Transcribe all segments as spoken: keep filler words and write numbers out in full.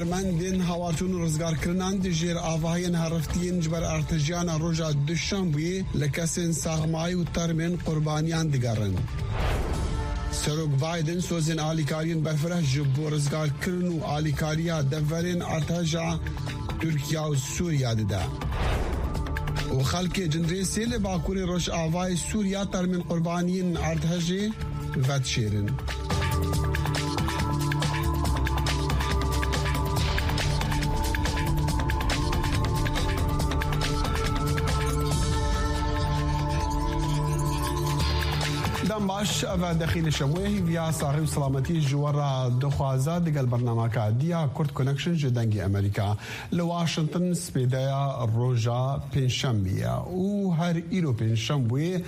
Mendên hawarçûn û rizgarkirinan di jêr avahiyên heriftiyên ji ber erdhejiyana roja Duşembuyê li kesên saxmayî û termên qurbaniyan digerin. Serok Biden sozên alîkariyên berfireh ji bo rizgarkirin û alîkariya deverên erdheja Tirkiye û Sûriye dide. Û xelkê Cinrêsê li bakurê rojavayê Sûriye termên qurbaniyên erdhejê vedişêrin. Dem baş, ev e Dexîlê Şemûyê, hîviya saxî û selametî ji we re dixwaze digel bernameka Diya Kurd Connection ji Dengê Amerîka. Li Washington spêdeya roja Pêncşembê ye û her îro Pêncşembê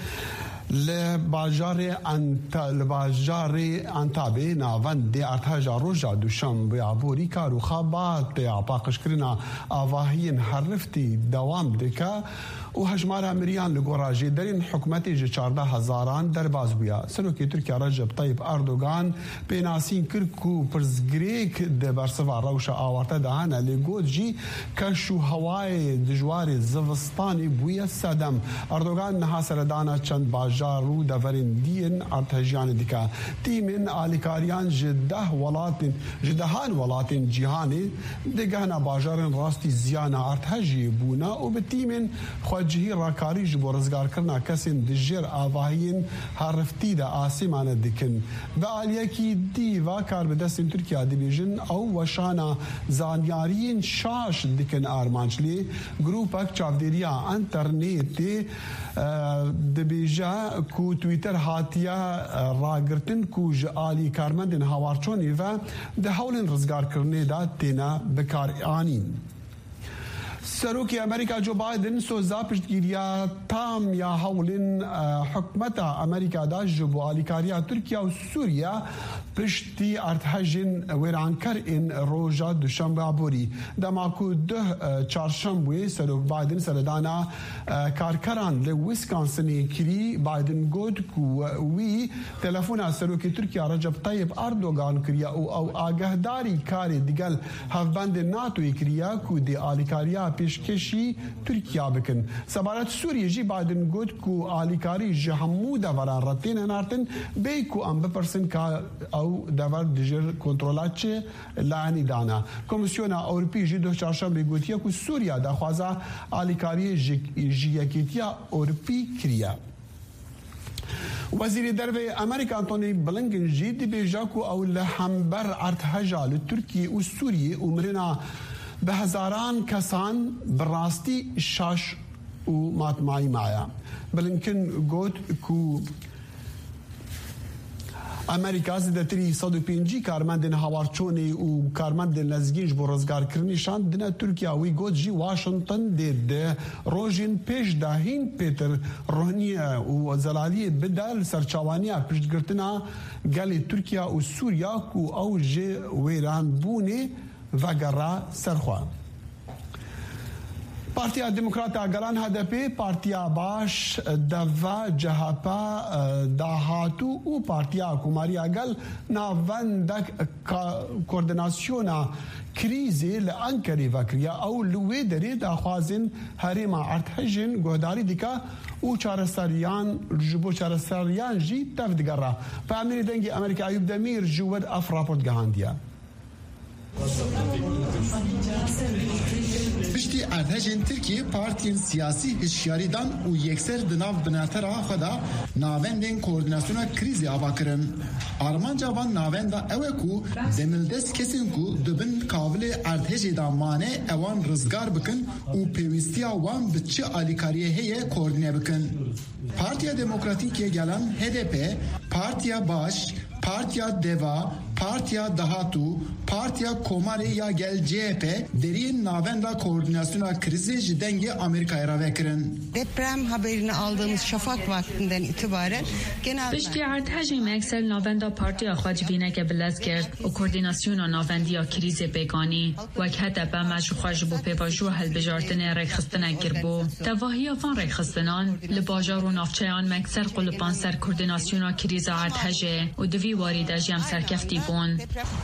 li bajarê Anta-, li bajarê Antabê navendê erdheja roja Duşembê ya borî kar û xebatê ya paqijkirina avahiyên heriftî dewam dike û hejmara miriyan li gora jêderên hikûmetê ji çardeh hezaran derbas bûye. Serokê Tirkiye Recep Tayyip Erdogan pênasîn kir ku pirsgirêk di bersiva rewşa awarte de hene, lê got jî keş û hewayê dijwarê zivistanê bûye sedem. Erdogan niha seredana çend bajar û deverên dî yên erdhejiyanê dike. Tîmên alîkariyan ji deh welatên, ji dehan welatên cîhanê digehne bajarên rastî ziyana erdhejiyê bûne û bi tîmên xwecihî rakarî ji bo rizgarkirina kesên di jêr avahiyên heriftî de asê mane dikin. Bi aliyekî dî va karbidestên Tirkiye dibêjin ew weşana zanyariyên şaş dikin armanc, lê grûpek çavdêriya înternetê, e, dibêje ku Twitter hatiye, e, ragirtin ku ji alî karmendên hawarçonê ve di hewlên rizgarkirinê de têne bikaranîn. Serokê Amerîka Joe Biden soza piştgiriya tam ya hewlên, e, hikûmeta Amerîka da ji bo alîkariya Tirkiye û Sûriye piştî erdhejên wêrankar ên roja Duşembe aborî. Dema ku duh, e, Çarşembê Serok Biden seredana, e, karkeran li Wisconsinê kirî, Biden got ku wî telefona Serokê Tirkiye Recep Tayyip Erdogan kiriye û ew agahdarî karê digel hevbendên NATOyê kiriye ku dê alîkariya pêşkêşî Tirkiye bikin. Sebaret Sûriyê jî Biden got ku alîkarî ji hemû deveran re tên hinartin, bê ku em bipirsin ka ew dever dijî kontrola çi layenî dane. Komîsyona Ewropî jî duh Çarşembê gotiye ku Sûriye daxwaza alîkariyê ji, ji Yekêtiya Ewropî kiriye. Wezîrê Derve yê Amerîka Antony Blinken jî dibêje ku ew li hember erdheja li Tirkiye û Sûriye û mirina bi hezaran kesan bi rastî şaş û matmayî maye. Blinken got ku Amerîka zêdetirî sed û pêncî karmendên hawarçonê û karmendên lezgîn ji bo rizgarkirinê şandine Tirkiye. Wî got jî Washington dê di rojên pêş de hîn pêtir rohniye û zelaliyê bide li ser çawaniya piştgirtina gelê Tirkiye û Sûriya ku ew ji wêranbûnê vegera ser xwe. Partiya Demokrat a Gelan, H D P, Partiya Baş, Deva, C H P, Dahatû û Partiya Komariya Gel navendek ka-, koordinasyona krîzê li Enkerê vekiriye. Ew li wê derê daxwazên herêma erdhejên guhdarî dike û çareseriyan, ji bo çareseriyan jî tev digere. Peyamnêrê Dengê Amerîka Eyûp Demîr ji wir ev raport gihandiye. Piştî erdhejên Tirkiyê, partiyên siyasî hişyarî dan û yekser di nav binetera xwe de navendên koordinasyona krîzê ava kirin. Armanca van navenda ew e ku demildest kesên ku di bin kavilê erdhejê de mane, ewan rizgar bikin û pêwîstiya wan bi çi alîkariyê heye koordîne bikin. Partiya Demokratîk yê Gelan, H D P, Partiya Baş, Partiya Deva, Partiya Dahatû, Partiya Komarê ya Gel, C H P, deriyên Navenda Koordînasyona Krîzê ji Dengê Amerîkayê re vekirin. Deprem haberini aldığımız şafak vaktinden itibaren genel Piştî erdhejê me ekser navenda partiya xwe civîneke bilez kir û koordînasyona navendiya krîzê pêk anî. Wek H D P me ji xwe ji bo pêvajoya hilbijartinê rêkxistinek kiribû. Tevahiya van rêkxistinan li bajar û navçeyan me ekser qulipan ser koordînasyona krîza erdhejê û di vî warî de jî em serkeftî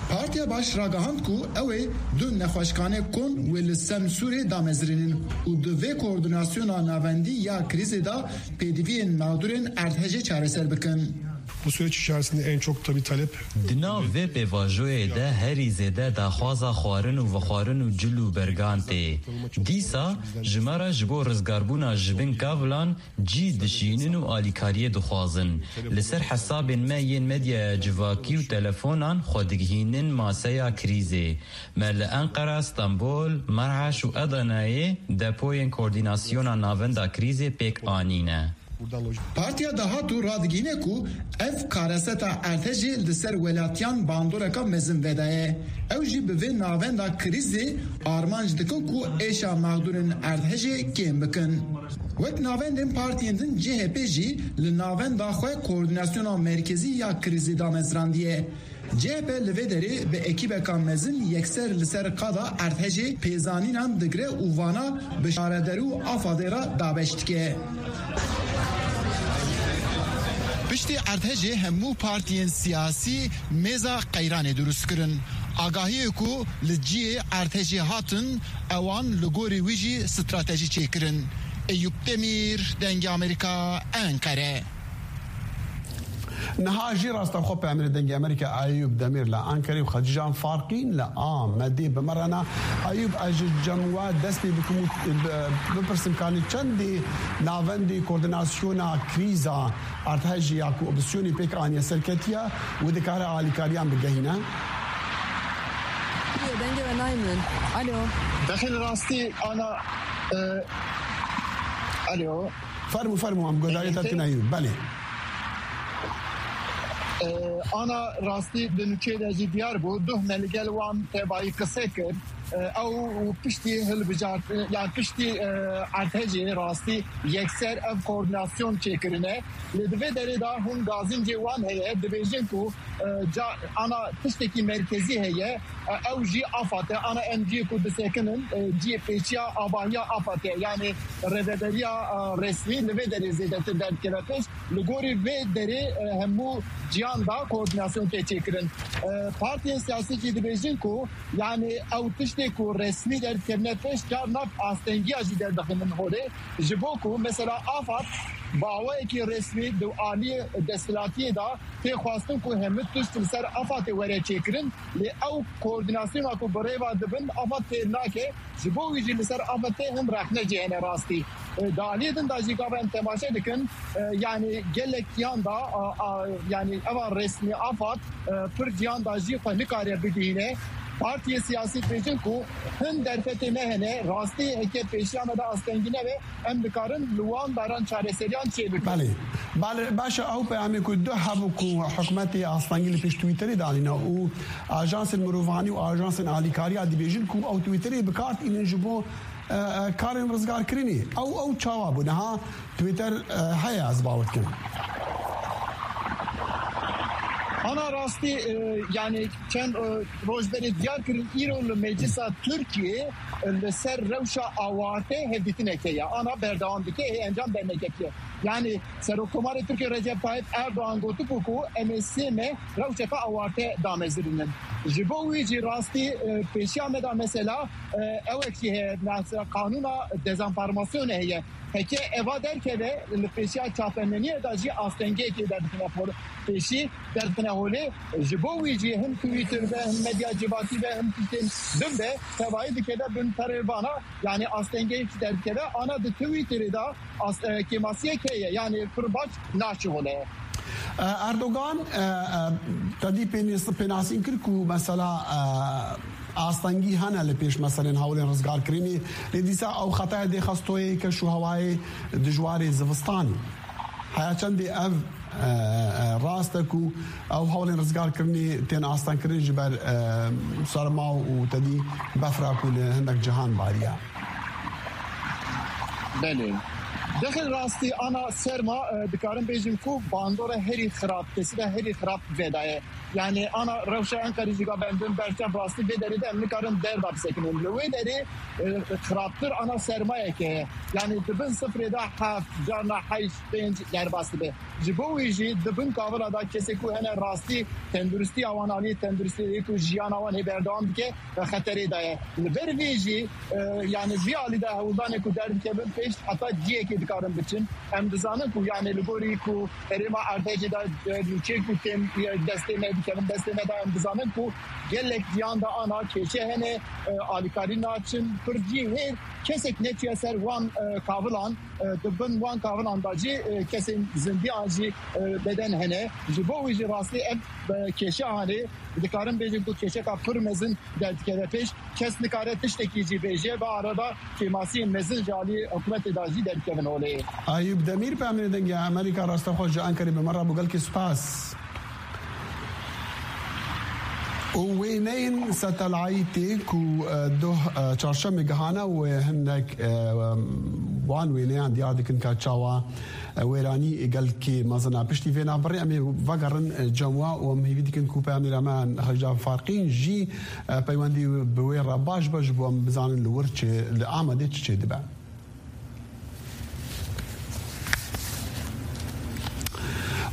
Partiya Baş ragihand ku ew ê du nexweşxanê kon wê li Semsûrê damezrînin û di vê koordînasyona navendî ya krîzê de pêdiviyên mexdûrên erdhejê çareser bikin. Bu süreç içerisinde en çok tabii talep Di nav vê pêvajoyê de herî zêde daxwaza xwarin û vexwarin û cil û bergan tê. Dîsa ji me re ji bo rizgarbûna ji bin kavilan cî dişînin û alîkariyê dixwazin. Li ser hesabên me yên medyaya civakî û telefonan xwe digihînin maseya krîzê. Me li Enqera, Stenbol, Merheş û Edeneyê depoyên koordînasyona navenda krîzê pêk anîne. Partiya Dahatû radigihîne ku ev kareseta erdhejê li ser welatiyan bandoreka mezin vedaye. Ew jî bi vê navenda krîzê armanc dikin ku êşa mexdûrên erdhejê kêm bikin. Wek navendên partiyên din C H P jî li navenda xwe koordînasyona merkezî ya krîzê damezrandiye. C H P li vê derê bi ekîbeka mezin yekser li ser qada erdhejê pêzanînan digre û vana bi şaredarî û AFADê re dabeş dike. Piştî erdhejê hemû partiyên siyasî mêza qeyranê dirust kirin. Agahiyê ku li cihê erdhejê hatin, ewan li gorî wî jî stratejî çêkirin. Eyûp Demîr, Dengê Amerîka, Enqere. Niha jî rastex xwe peyamêrê Dengê Amerîka Eyûp Demîr li Ankarê û Xecîcan Farqîn li Amedê bi me re ne. Eyûp, ez ji cem we dest pê bikim û bi-, bipirsim, kanî çendê navendê koordînasyona krîza erdhejê ya ku opsiyonê pêk aniye serketiye û dikare alîkariyan bigehîne? Dengê we nayê min. Alo. Dexil rastî ana, e, alo. Fermû, fermû, em guhdarî te dikin Eyûp. Belê. E, ana rastî di nûçeyê de jî diyar bû. Duh me li gel wan tevayî qise kir. E, ew piştî hilbijartin, yani piştî, e, erdhejê rastî yekser ev koordînasyon çêkirine. Lê di vê derê de hûn gazîncê wan heye, dibêjin ku, e, ca, ana tiştekî merkezî heye, e, ew jî AFAD e. Ana em cihê ku disekinin, e, cihê pêşiya avahiya AFAD e. Yani rêveberiya, e, resmî li vê derê zêdetir derdikeve pêş. Li gorî vê derê, e, hemû ciyan da koordînasyon tê çêkirin. E, partiyên siyasî jî dibêjin ku, yani ew tiştê ku resmî derdikevine pêş, car nav astengiya jî derdixînin holê. Ji bo ku mesela AFAD bi awayekî resmî di aliyê desthilatiyê de tê xwestin ku hemû tişt li ser AFADê were çêkirin, lê ew koordînasyona ku bi rê ve dibin AFAD fêr nake. Ji bo wî jî li ser AFADê hin rexne jî hene rastî. E, di aliyê din de jî gava em temaşe dikin, e, yani gelek ciyan da, a, a, yani eva resmî AFAD, e, pir ciyan da jî xwe nikare bigihîne. Partiyê siyasî dibêjin ku hin derfetê me hene, rastî heke pêşiya me de astengî nebe, em dikarin li wan daran çareseriyan çêbikin. Belê. Belê, baş e, ew peyamê ku du hebû ku hikûmetê astengî li pêş Twitterê danîne û ajansên mirovanî û ajansên alîkariya dibêjin ku ew Twitterê bi kar tînin ji bo, e, e, karên rizgarkirinê. Ew, ew çawa bû? Niha Twitter, e, heye, ez bawer dikim. Ana rastî, e, yani çend, e, roj berê diyar kirin, îro li Meclisa Tirkiyê, e, li ser rewşa awarte hevdîtineke ye. Ana berdewam dike, hê encam derneketiye. Yani Serokkomarê Tirkiyê Recep Tayyip Erdoğan gotibû ku em ê sê meh rewşeke awarte damezirînin. Ji bo wî jî rastî, e, pêşiya me de mesela, e, ewek jî heye, mesela qanûna dezenformasyonê heye. Heke eva derkeve, li pêşiya çapemeniyê de jî astengiyekê derdixine por-, pêşî, derdixine holê. Ji bo wî jî him Twitter be, him medya civakî be, him tiştên din be, tevayî dikeve bin perê vana, yani astengiyek derdikeve. Ana di Twitterê de as-, e, kêmasiyek heye, yani pir baş naşihole. E, Erdogan, e, e, tedî pênîs-, pênasîn kir ku mesela, e, astengî hene li pêş meselên hewlên rizgarkirinê, lê dîsa ew xetaya dê xestoyê keş û hewayê dijwarê zivistanê. Heya çendê ev, e, e, rast e ku ew hewlên rizgarkirinê tên astengkirin ji ber, e, serma û tedî befra ku li hindek cihan bariya? Belê. Dexil rastî ana serma, e, dikarin bêjin ku bandora herî xirab, tesîra herî xirab vê de ye. Yani ana rewşa Enqerê jî ga bendin berçav rastî vê derê de em nikarin derda bisekinin. Li wê derê, e, xirabtir ana sermayeke ye. Yani di bin sifrê de heft, carna heşt, pênc derbas dibe. Ji bo wî jî di bin kavila de kesê ku hene rastî tenduristiya wan alî, tenduristiyê ku jiyana wan hê berdewam dike, e, xeterê de ye. Li ber vê jî, e, yani vî alî de hewldanê ku derdikevin pêş heta cihekê dikarin biçin. Em dizanin ku yani li gorî ku herêma Erdhejê de, e, nûçeyê ku tên, e, destê me dikevin, destê me de em dizanin ku gelek ciyan de ana kêşe hene, e, alîkarî naçin, pir cî hê kesek neçiye ser wan, e, kavilan, e, di bin wan kavilan de jî, e, kesên zindiyan jî, e, beden hene. Ji bo wî jî rastî ev, e, kêşe hanê dikarin bêjin ku kêşeka pir mezin derdikeve pêş. Kes nikare tiştekî jî bêje, bi arada kêmasiyên mezin ji alî hikûmetê de jî derdikevin holê. Eyûb Demîr, peyamnêrê Dengê Amerîka, rastexwe ji Enqerê bi me re bû. Gelkî spas. Û wêneyên satelayîtê ku, e, doh, e, çarşemê gihane wê hinek, e, wan wêneyan diyar dikin ka çawa, e, wêranî gelkî mezin e. Piştî vê navbirê em ê vegerin, e, cem we û em hêvî dikin ku peyamnêra me Hecî Farqîn jî, e, peywendî bi wê re baş be ji bo em bizanin li wir çi, li Amedê çi çêdibe.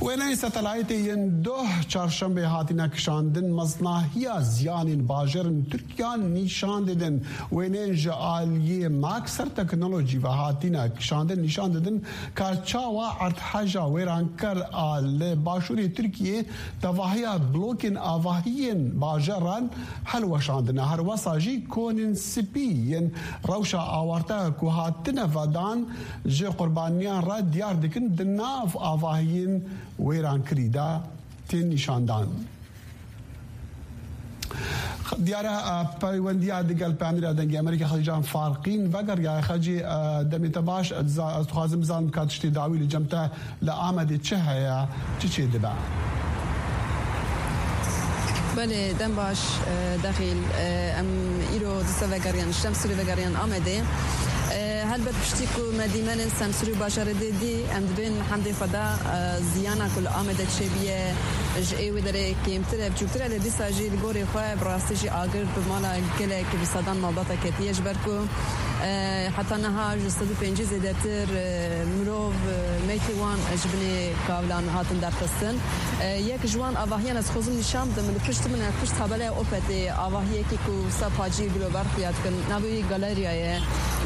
Wêneyên satelayîtê yên doh çarşembê hatine kişandin, mezinahiya ziyanên bajarên Tirkiya nîşan didin. Wêneyên ji aliyê Maxar Technology ve hatine kişandin nîşan didin ka çawa erdheja wêranker a li başûrê Tirkiyê tevahiya blokên avahiyên bajaran helweşandine. Her wesa jî konên spî yên rewşa awarte ku hatine vedan ji qurbaniyan re diyar dikin, di nav avahiyên wêrankirî de tên nîşandan. Diyar e, peywendiya digel peyamnêra Dengê Amerîka Xelîcan Farqîn vegeriyaye. Xelcî, e, demê te baş, ez za-, ez dixwazim bizanim ka tiştê dawî li cem te li Amedê çi heye, çi çêdibe? Belê, dem baş, e, Dexîl. E, em îro dîsa vegeriyan, ji Semsûrê vegeriyan Amedê. E, helbet piştî ku me dîmenên Semsûrê û bajarê dê dî, em dibên hemdê xwe de, e, ziyana ku li Amedê çêbûye, ji ê wê derê kêmtir e, biçûktir e, lê dîsa jî li gorî xwe bi rastî jî agir bi mala gelek, bi sedan malbata ketiye, ji ber ku, e, heta niha ji sed û pêncî zêdetir, e, mirov, e, meytê wan ji binê kavilan hatin derxistin. E, yek ji wan avahiyan ez xwezim nîşan bidim, li pişt min e, pişt tabelaya Opetê, avahiyekî ku wisa paciyê gilobar xuya dikin, navê wî Galerya ye.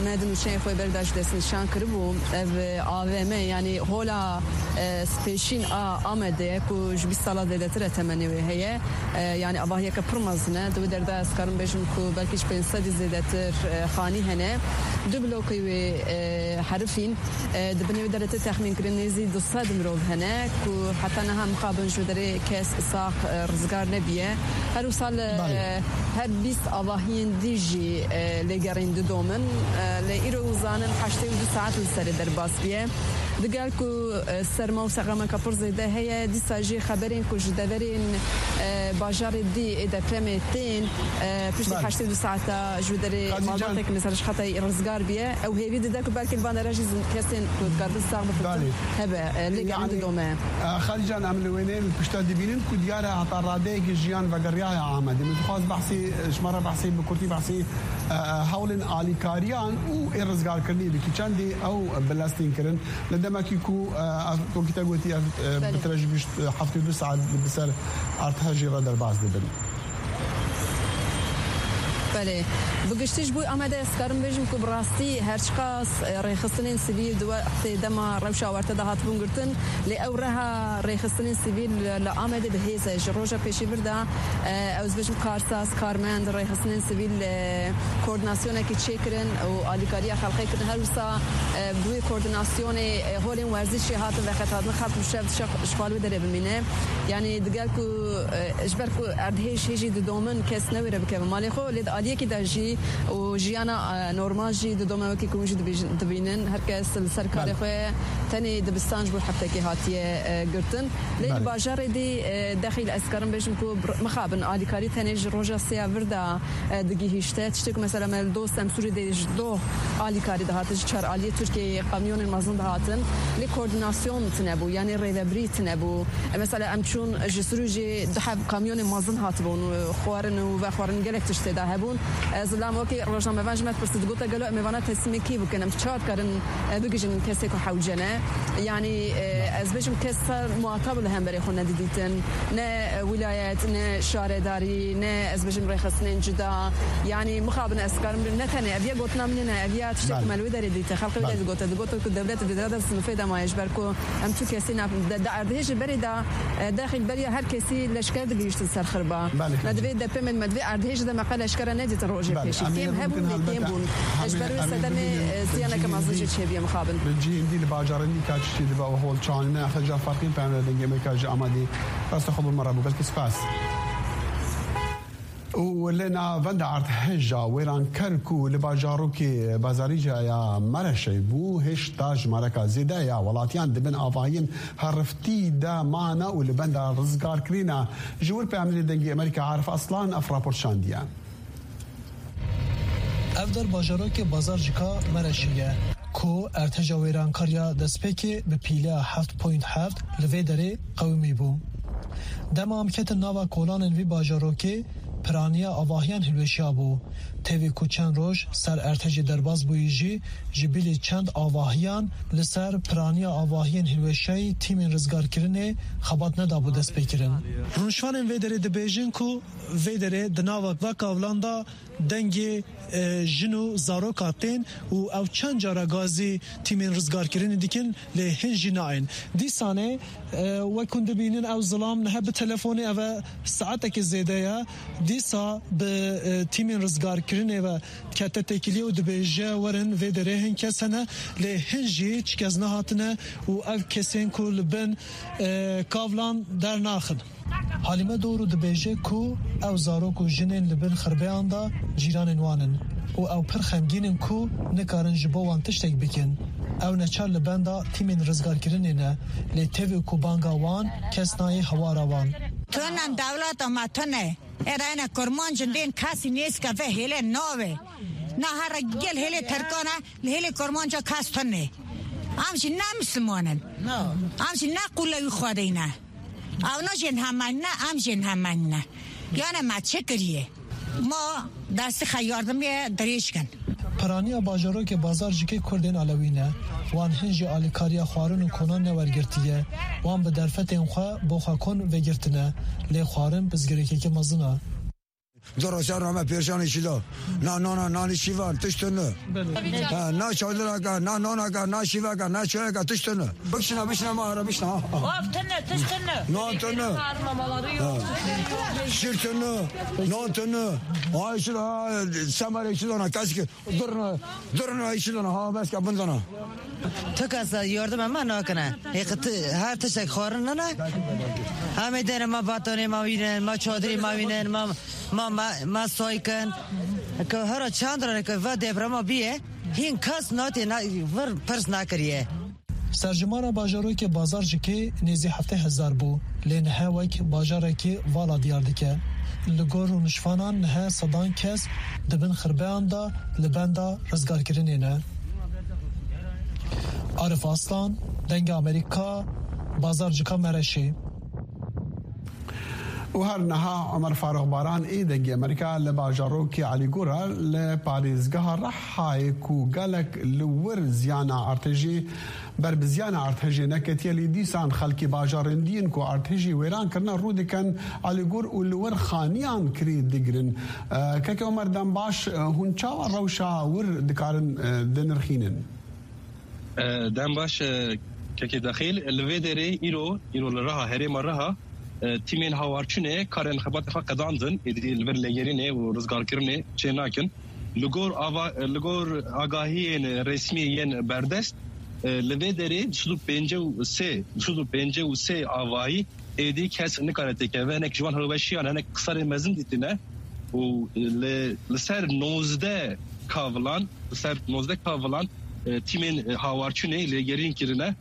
Me di nûçeyên xwe berî de jî destnîşan kiribû. Ev, e, A V M, yanî hola, e, spêşîn a Amedê ye ku ji bîst sala zêdetir e temenê wê heye. E, yanî avahiyeke pir mezin e. Di wê derê de ez karim bêjim ku belkî ji pênc sedî zêdetir, e, xanî hene. Du blokê wê, e, herifîn. E, di binê wê derê tê texmînkirin nêzî du sed mirov hene ku heta niha mixabin ji wê derê kes sax, e, rizgar nebiye. Her wisa li, Belê. e, her bîst avahiyên dî jî, e, lêgerîn didomin. E, lê îro zanin heştê û du saet li serê derbas biye. Digel ku, e, serma û seqameke pir zêde heye, dîsa jî xeberên ku ji deverên, e, bajarê dî ê depremê tên, e, piştî Belê. heştê û du saeta ji wê derê Qazî Can. malbatek mesela ji xetayê rizgar biye. Ew hêvî dide ku belkî li van dera jî zin-, kesên ku dikarbin sax bifitin Belê. hebe, e, lê Yani, gerîn didome. e, Xalî Can, em li wêneyên pişta dibînin ku diyar e heta radeyekî jiyan vegeriyaye Amedê. Min dixwaz behsî, ji me re behsî, bi kurtî behsî, e, e, hewlên alîkariyan û ê rizgarkirinî bikî. Çendî ew bilestîn kirin. Li demekî ku, e, ev, wekî te gotî, ev, e, Belê. bi tire ji bîst, e, heftê û du saet bi ser erdhejê re derbas dibin. Belê. Bi giştî ji bo Amedê ez karim bêjim ku bi rastî her çiqas, e, rêxistinên sivîl di wextê dema rewşa werte de hatibûn girtin, lê ew reha rêxistinên sivîl li Amedê bi hêz e. Ji roja pêşî vir de, e, ew ez bêjim karsaz, karmend, rêxistinên sivîl, e, koordinasyonekî çêkirin û alîkariya xelkê kirin. Her wisa, e, bi wê koordinasyonê, e, holên werzîşê hatin veqetandin, xelk bi şev dişe ji xwe li wê derê bimîne. Yanî digel ku, e, ji ber ku erdhêj hêjî didomin, kes newêre bikeve malê xwe, lê di aliyê Yekî de jî û jiyana, e, normal jî di doma wekî ku hûn jî dibîj-, dibînin, her kes li ser karê Belê. xwe tenê dibistan ji bo heftekê hatiye, e, girtin. Lê li Belê. bajarê dî, e, dexîl ez karim bêjim ku bir-, mixabin alîkarî tenê ji roja sêya vir de, e, digihîşte. Tiştê ku mesela me li dost em Sûrî de ji doh alîkarî dihate, ji çar aliyê Tirkiyeyê kamyonên mezin dihatin. Lê koordinasyon tine bû, yanî rêvebirî tine bû. E, mesela em çûn ji Sûrî jî du heb kamyonên mezin hatibûn, e, xwarin û vexwarin gelek tişt tê de hebûn. Ez li wekî rojnamevan ji me dipirsin, digote gelo em ê vana teslîmê kî bikin? Em çawa dikarin, e, bigihîjin kesê ku hewce ne? Yanî, e, ez bêjim kes ser muhatab li hemberê xwe nedidîtin. Ne, e, wîlayet, ne şaredarî, ne ez bêjim rêxistinên cuda. Yanî mixabin ez dikarim ne tenê ev ya gotina min e, ev ya tiştê ku Belê. me li wê derê dîte, xelkê wê derê Belê. digote, digote ku dewlet di dera de sinifê de maye ji ber ku Em tu kesî ne, de, de erdhêjê berê de, e, dexîl beriya her kesî leşker digihîştin ser xirba. Belê, Me belê. divê depemên me divê erdhêjê de me qe leşkera nedîtin rojê Belê, pêşî. em ê Kêm rin hebûn bikin lê kêm helbete, bûn. Ji em ê, ber wê em ê sedemê, rin bikin e, ziyaneke mezin jî çêbûye mixabin. Li cihên dî li bajarên dî ka tiştî dibe û hol çaxîne xeca ferqîn peyamê dengê Amerîka ji Amadê. Rasta xwe bi me re bû. Gelkî spas. Û li navenda erdhêja wêranker ku li bajarokê Bazarîca ya Mereşê bû, hêşta jimareka zêde ya welatiyan di bin avahiyên heriftî de mane û li benda rizgarkirîna. Ji wir peyamnêrê Dengê Amerîka Arif Aslan ev rapor şandiye. Ev der bajarokê Bazarcika Mereşê ye, ku erdhêja wêrankar ya destpêkê bi pîleya heft point heft li vê derê qewimî bû. Dema em ketin nava kolanên vî bajarokê, piraniya avahiyan hilweşiya bû. Tevî ku çend roj ser erdhejê derbas bûyî jî, ji bilî çend avahiyan li ser piraniya avahiyên hilweşayî tîmên rizgarkirinê xebat nedabû destpêkirin. Rûnişvanên vê derê dibêjin ku vê derê di nava va kavlan de dengê, e, jin û zaroka tên û ew çend cara gazî tîmên rizgarkirinê dikin, lê hin jî nayên. Dîsanê, e, wek hûn dibînin, ew zilam niha bi telefonê, ev e saetekê zêde ye. Dîsa bi, e, tîmên rizgarkirinê ve kete têkiliyê û dibêje, werin vê derê hin kes hene, lê hin jî hiç kes nehatine û ev kesên ku li bin, e, kavlan dernaxin. Halîme Doğru dibêje ku ew zarok û jinên li bin xirbeyan de cîranên wan in û ew pir xemgîn in ku nikarin ji bo wan tiştek bikin. Ew neçar li benda tîmên rizgarkirinê ne, lê tevî ku banga wan kes nayê hewara wan. Tunan dewleta me tune. Erayna kurmancin dên kesî nêzke ve hêle nave. Na here gel hêlê Terkan e, li hêlê kurmanca kes tune. Em jî ne Misliman in. Em jî ne qûlewî Xwedê ne. Ew ne jên hemen ne, em jên hemen ne. Yane me çi kiriye? Ma destê xwe yardimê dirêj kin. Piraniya bajarokê Bazarcikê Kurdên Alewî ne. Wan hin jî alîkariya xwarin û konan newergirtiye. Wan bi derfetên xwe bo xwe kon vegirtine. Lê xwarin pirsgirêkeke mezin e. Du roja rame pêrşanê şîda. Na nana, nanî şîvan, tişt tune. Ha, na çadiraka, na nanaka, na şîvaka, na çayaka, tişt tune. Bikşina, bikşina ma ara, bikşina. Ha, ha. Of tune, tişt tune. Nan tune. Sarma maları yok. Ha. Şîr tune, nan tune. Ay şîr, ha, semerê şîdana, keski. Durna, durna, şîdana, ha, beska bindana. Tu kesa yardim me nakine. Hê qe tu her tiştek xwarin nene. Em ê dêne me batonê me wînin, me çadirê me wînin, me, me, me, me soy kin. Ke hera çend re ke va deprema biye, hîn kes natê na, vir pirs nakiriye. Serjimara bajarokê Bazarcikê nêzî heftê hezar bû, lê niha wek bajarekî vala diyar dike. Li gor rûnişvanan niha sedan kes di bin xirbeyan de li benda rizgarkirinê ne. Arif Aslan, Dengê Amerîka, Bazarcika Mereşê. Û her niha Omer Faruk Baran ê Dengê Amerîka li bajarokê Elîgor e, li parêzgeha Rehayê ku gelek li wir ziyana artêjê, ber bi ziyana artêjê neketiye, lê dîsan xelkê bajarên dîn ku artêjê wêran kirine rû dikin Elîgor û li wir xaniyan kirê digirin. E, Keke Omer, dem baş, e, hûn çawa rewşa wir dikarin, e, dinirxînin? E, dem baş, e, kekê Dexîl, li vê derê îro, îro li Riha, herêma Riha, e, tîmên hawarçûnê karên xebatê xwe qedandin, êdî li vir lêgerînê û rizgarkirinê çê nakin. Li gor ava-, li gor agahiyên resmî yên berdest, e, li vê derê du sed û pêncî û sê, du sed û pêncî û sê avahî êdî kes nikare têkeve, hinek ji wan hilweşiyan, hinek qisarên mezin dîtine. û li, li ser nozdeh kavilan, li ser nozdeh kavilan, e, tîmên, e, hawarçûnê lêgerîn kirine.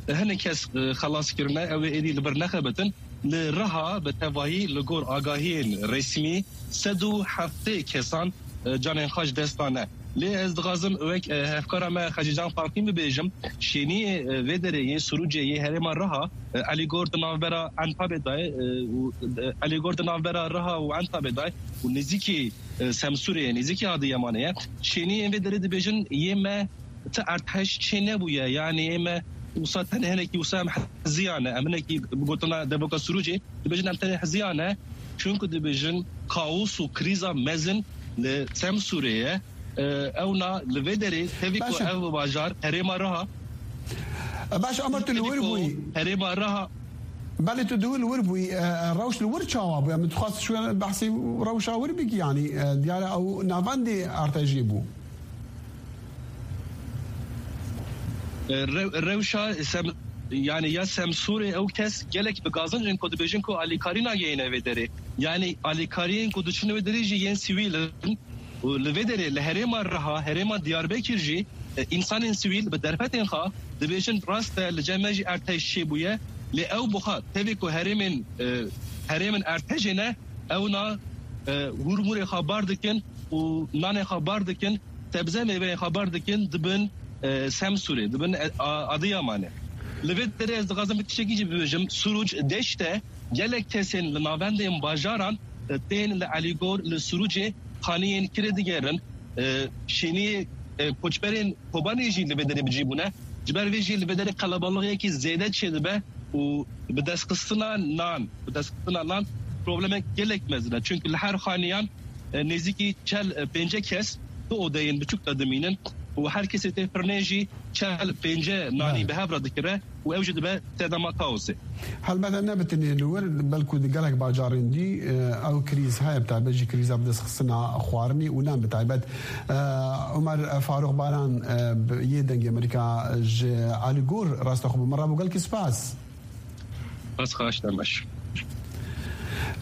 E, hinek kes, e, xelas kirine, ew ê êdî li vir nexebitin. Li Riha bi tevahî li gor agahiyên resmî sed û heftê kesan, e, canên xwe ji dest dane. Lê ez dixwazim wek, e, hevkara me Xecîcan Farqîn bibêjim, şêniyê, e, vê derê yê Sirûcê yê herêma Riha, e, Elîgor di navbera Entabê de ye, e, û, e, Elîgor di navbera Riha û Entabê de ye û nêzîkî, e, Semsûrê ye, nêzîkî Adiyamanê ye. Şêniyên vê derê dibêjin yê me ti erdhej çê nebûye, yanî yê me wisa tenê hinekî wisa em heziyane, em hinekî bi gotina devoka Sirûcê dibêjin em tenê heziyane, çunku dibêjin kaos û krîza mezin li Semsûrê ye. E, ewna li vê derê tevî ku Baş e. Ev bajar herêma Riha, E, baş, Omer, tu li tevî wir ku bûyî. Herêma Riha. Belê, tu di wir, wir bûyî. E, rewş li wir çawa bûye? Min dixwest şû behsî rewşa wir bikî, yanî, e, diyar e ew navendê artejê bû. E, rew-, rewşa Sem-, yanî ya Semsûrê ew kes gelek bi gazinc in ku dibêjin ku alîkarî nagehîne vê derê. Yanî alîkariyên ku diçin wê derê jî yên sivîl in. Û li vê derê li herêma Riha, herêma Diyarbekir jî, e, însanên sivîl bi derfetên xwe dibêjin rast e li cem me jî erdhej çêbûye. Lê ew bi xwe tevî ku herêmên, e, herêmên erdhejê ne, ewna, e, hûrmûrê xwe bar dikin û nanê xwe bar dikin, sebze mêveyên xwe bar dikin, dibin, e, Semsûrê, dibin, e, a-, Adiyamanê. Li vê derê ez dixwazim bi tiştekî jî bibêjim. Sirûc deşt e, gelek kesên li navendên bajaran, e, tên li Elîgor, li Sirûcê xaniyên kirê digerin. E, şêniyê, e, koçberên Kobanê jî li vê derê bi cî bûne. Ji ber vê jî li vê derê qelebalixiyekî zêde çêdibe û bi destxistina nan, bi destxistina nan problemek gelek mezin e. Çunku li her xaniyan, e, nêzîkî çel, e, pênce kes di odeyên biçûk de dimînin û her kesê tê firnê jî çel pênce nanî Belê. bi hev re dikire û ew jî dibe sedema kaosê. Helbet ne bi tenê li wir, belkû di gelek bajarên dî, e, ew krîz heye, bi taybet jî krîza bidestxistina xwarinê û nan bi taybet. E, Omer Farûq Baran, e, bi, yê Dengê Amerîka ji Elîgor rasta xwe bi min re bû. Gelkî spas. Ez xaş demeş.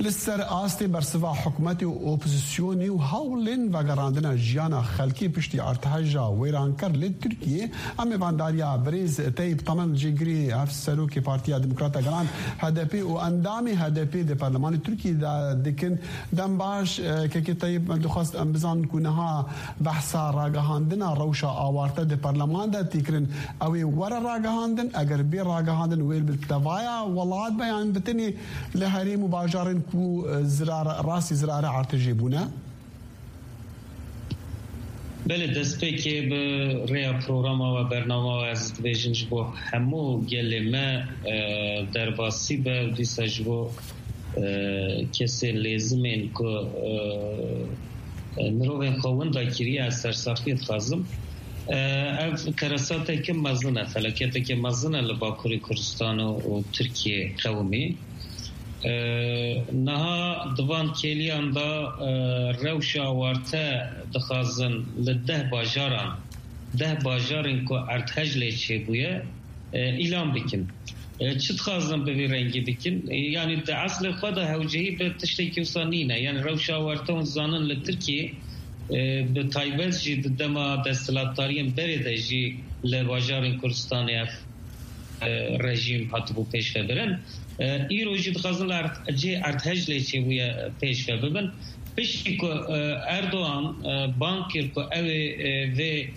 Li ser astê bersiva hikûmetê û opozîsyonê û hewlên vegerandina jiyana xelkê piştî artehêja wêranker li Tirkiyê, em mêvandariya birêz Teyîp Temen, cêgirê Hevserokê Partiya Demokrata Gelan, H D P, û endamê H D P di Perlemanê Tirkiyê de dikin. Dem baş, e, kekê Teyîp, me dixwest em bizanin ku niha behsa ragihandina rewşa awarte di perleman de tê kirin. Ew ê were ragihandin, eger bê ragihandin wê li tevaya welat be, yan bi tenê li herêm û bajarên ku, e, zirar, rastî zirarê artejê bûne? Belê, destpêkê bi rêya programa we, bernama we ez dibêjim ji bo hemû gelê me, e, derbasî be û dîsa ji bo, e, kesê lêzimên ku, e, e, mirovên xwe winda kiriye, ez sersaxiyê dixwazim. E, ev keresateke mezin e, felaketeke mezin e li Bakurê Kurdistan û, û Tirkiyê qewimî. E, niha di van kêliyan de, e, rewşa awarte dixwazin li deh bajaran, deh bajarên ku erdhej lê çêbûye, e, îlan bikin. E, çi dixwazin bi vî rengî bikin? E, yanî di eslê xwe de hewcehî bi tiştekî wisa nîne. Yanî rewşa awarte hûn zanin li Tirkiyê, e, bi taybet jî di dema desthilatdariyên berê de jî li bajarên Kurdistanê ev, e, rejîm hatibû pêşvebirin. E, îro jî dixwazin li erd-, cihê erdhej lê çêbûye pêşve bibin. Piştî ku, e, Erdogan, e, bang kir ku ew ê, e, vê,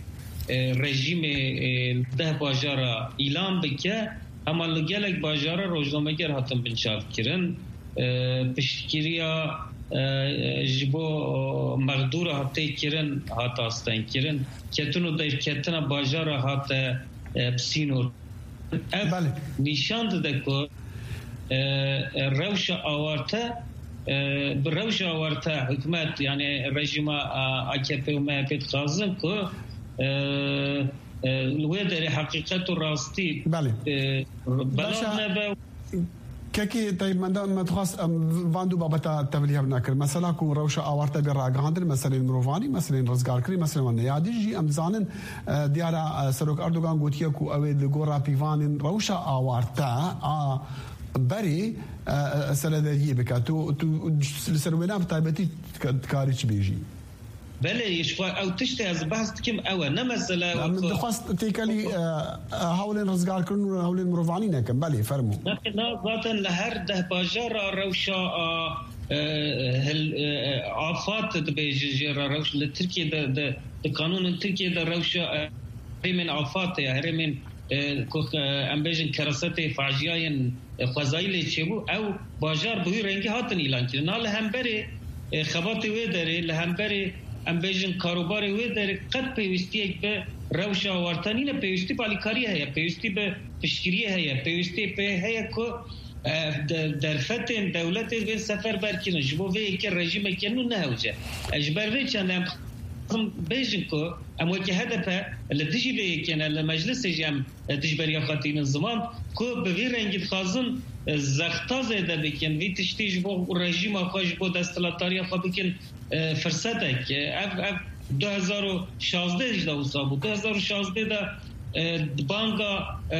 e, rejîmê, e, deh bajara îlan bike, hema li gelek bajara rojnameger hatin binçavkirin. E, piştgiriya, e, ji bo, e, mexdûra tê kirin hat astengkirin. Ketin û derketina bajara hate, e, bi sînor. Ev Belê. nîşan dide ku, e, e, rewşa awarte, e, bi rewşa awarte hikûmet, yani rejîma, a, A K P û M H P dixwazin ku, e, e, li wê derê heqîqet û rastî, Belê. e, belav Başa nebe. Kekê Teyîp, me de, me dixwast em van du babeta tevlî hev nekirin. Mesela ku rewşa awarte bê ragihandin, meselên mirovanî, meselên rizgarkirî, meselên wan neyadî jî em dizanin, e, diyara, e, Serok Erdogan gotiye ku ew ê li gora pîvanên rewşa awarte a berê, e, e, serederiyê bike. Tu, tu li ser wêna bi taybetî dikarî çi bêjî? Belê, ji xwe ew tiştê ez behs dikim ew e. Ne mesele Em wek dixwest têkelî, e, e, hewlên rizgarkirin û hewlên mirovanî nekin. Belê, fermo. Ne, ne, zaten li her deh bajara rewşa, a, e, hil, e, afat dibêjin jê re rewş li Tirkiyê de, de, di kanûnên Tirkiyê de rewşa, e, herêmên afat heye, herêmên, e, ku, e, em bêjin kerasetê faciayên, e, xwezayî lê çêbû, ew bajar bi wî rengî hatin îlankirin. Na li hemberê, e, xebatê wê derê, li hemberê, em bêjin, karobarê wê derê qet pêwîstiyek bi rewşa awarte nîne, pêwîstî bi alîkariyê heye, pêwîstî bi piştgiriyê heye, pêwîstî pê heye ku, e, de-, derfetên dewletê bên seferber kirin. Ji bo vê yekê rejîmeke nû nehewce. E, ji ber vê çendê em dixwazin bêjin ku em wekî H D P li dijî vê yekê ne, li meclisê jî em, e, dijberiya xwe tînin ziman ku bi vî rengî dixwazin, e, zexta zêde bikin, vî tiştî ji bo rejîma xwe, ji bo desthilatdariya xwe bikin, e, firsetek. E, ev, ev du hezar û şazdeh jî de wisa bû. Du hezar û şazdeh de, e, banga, e,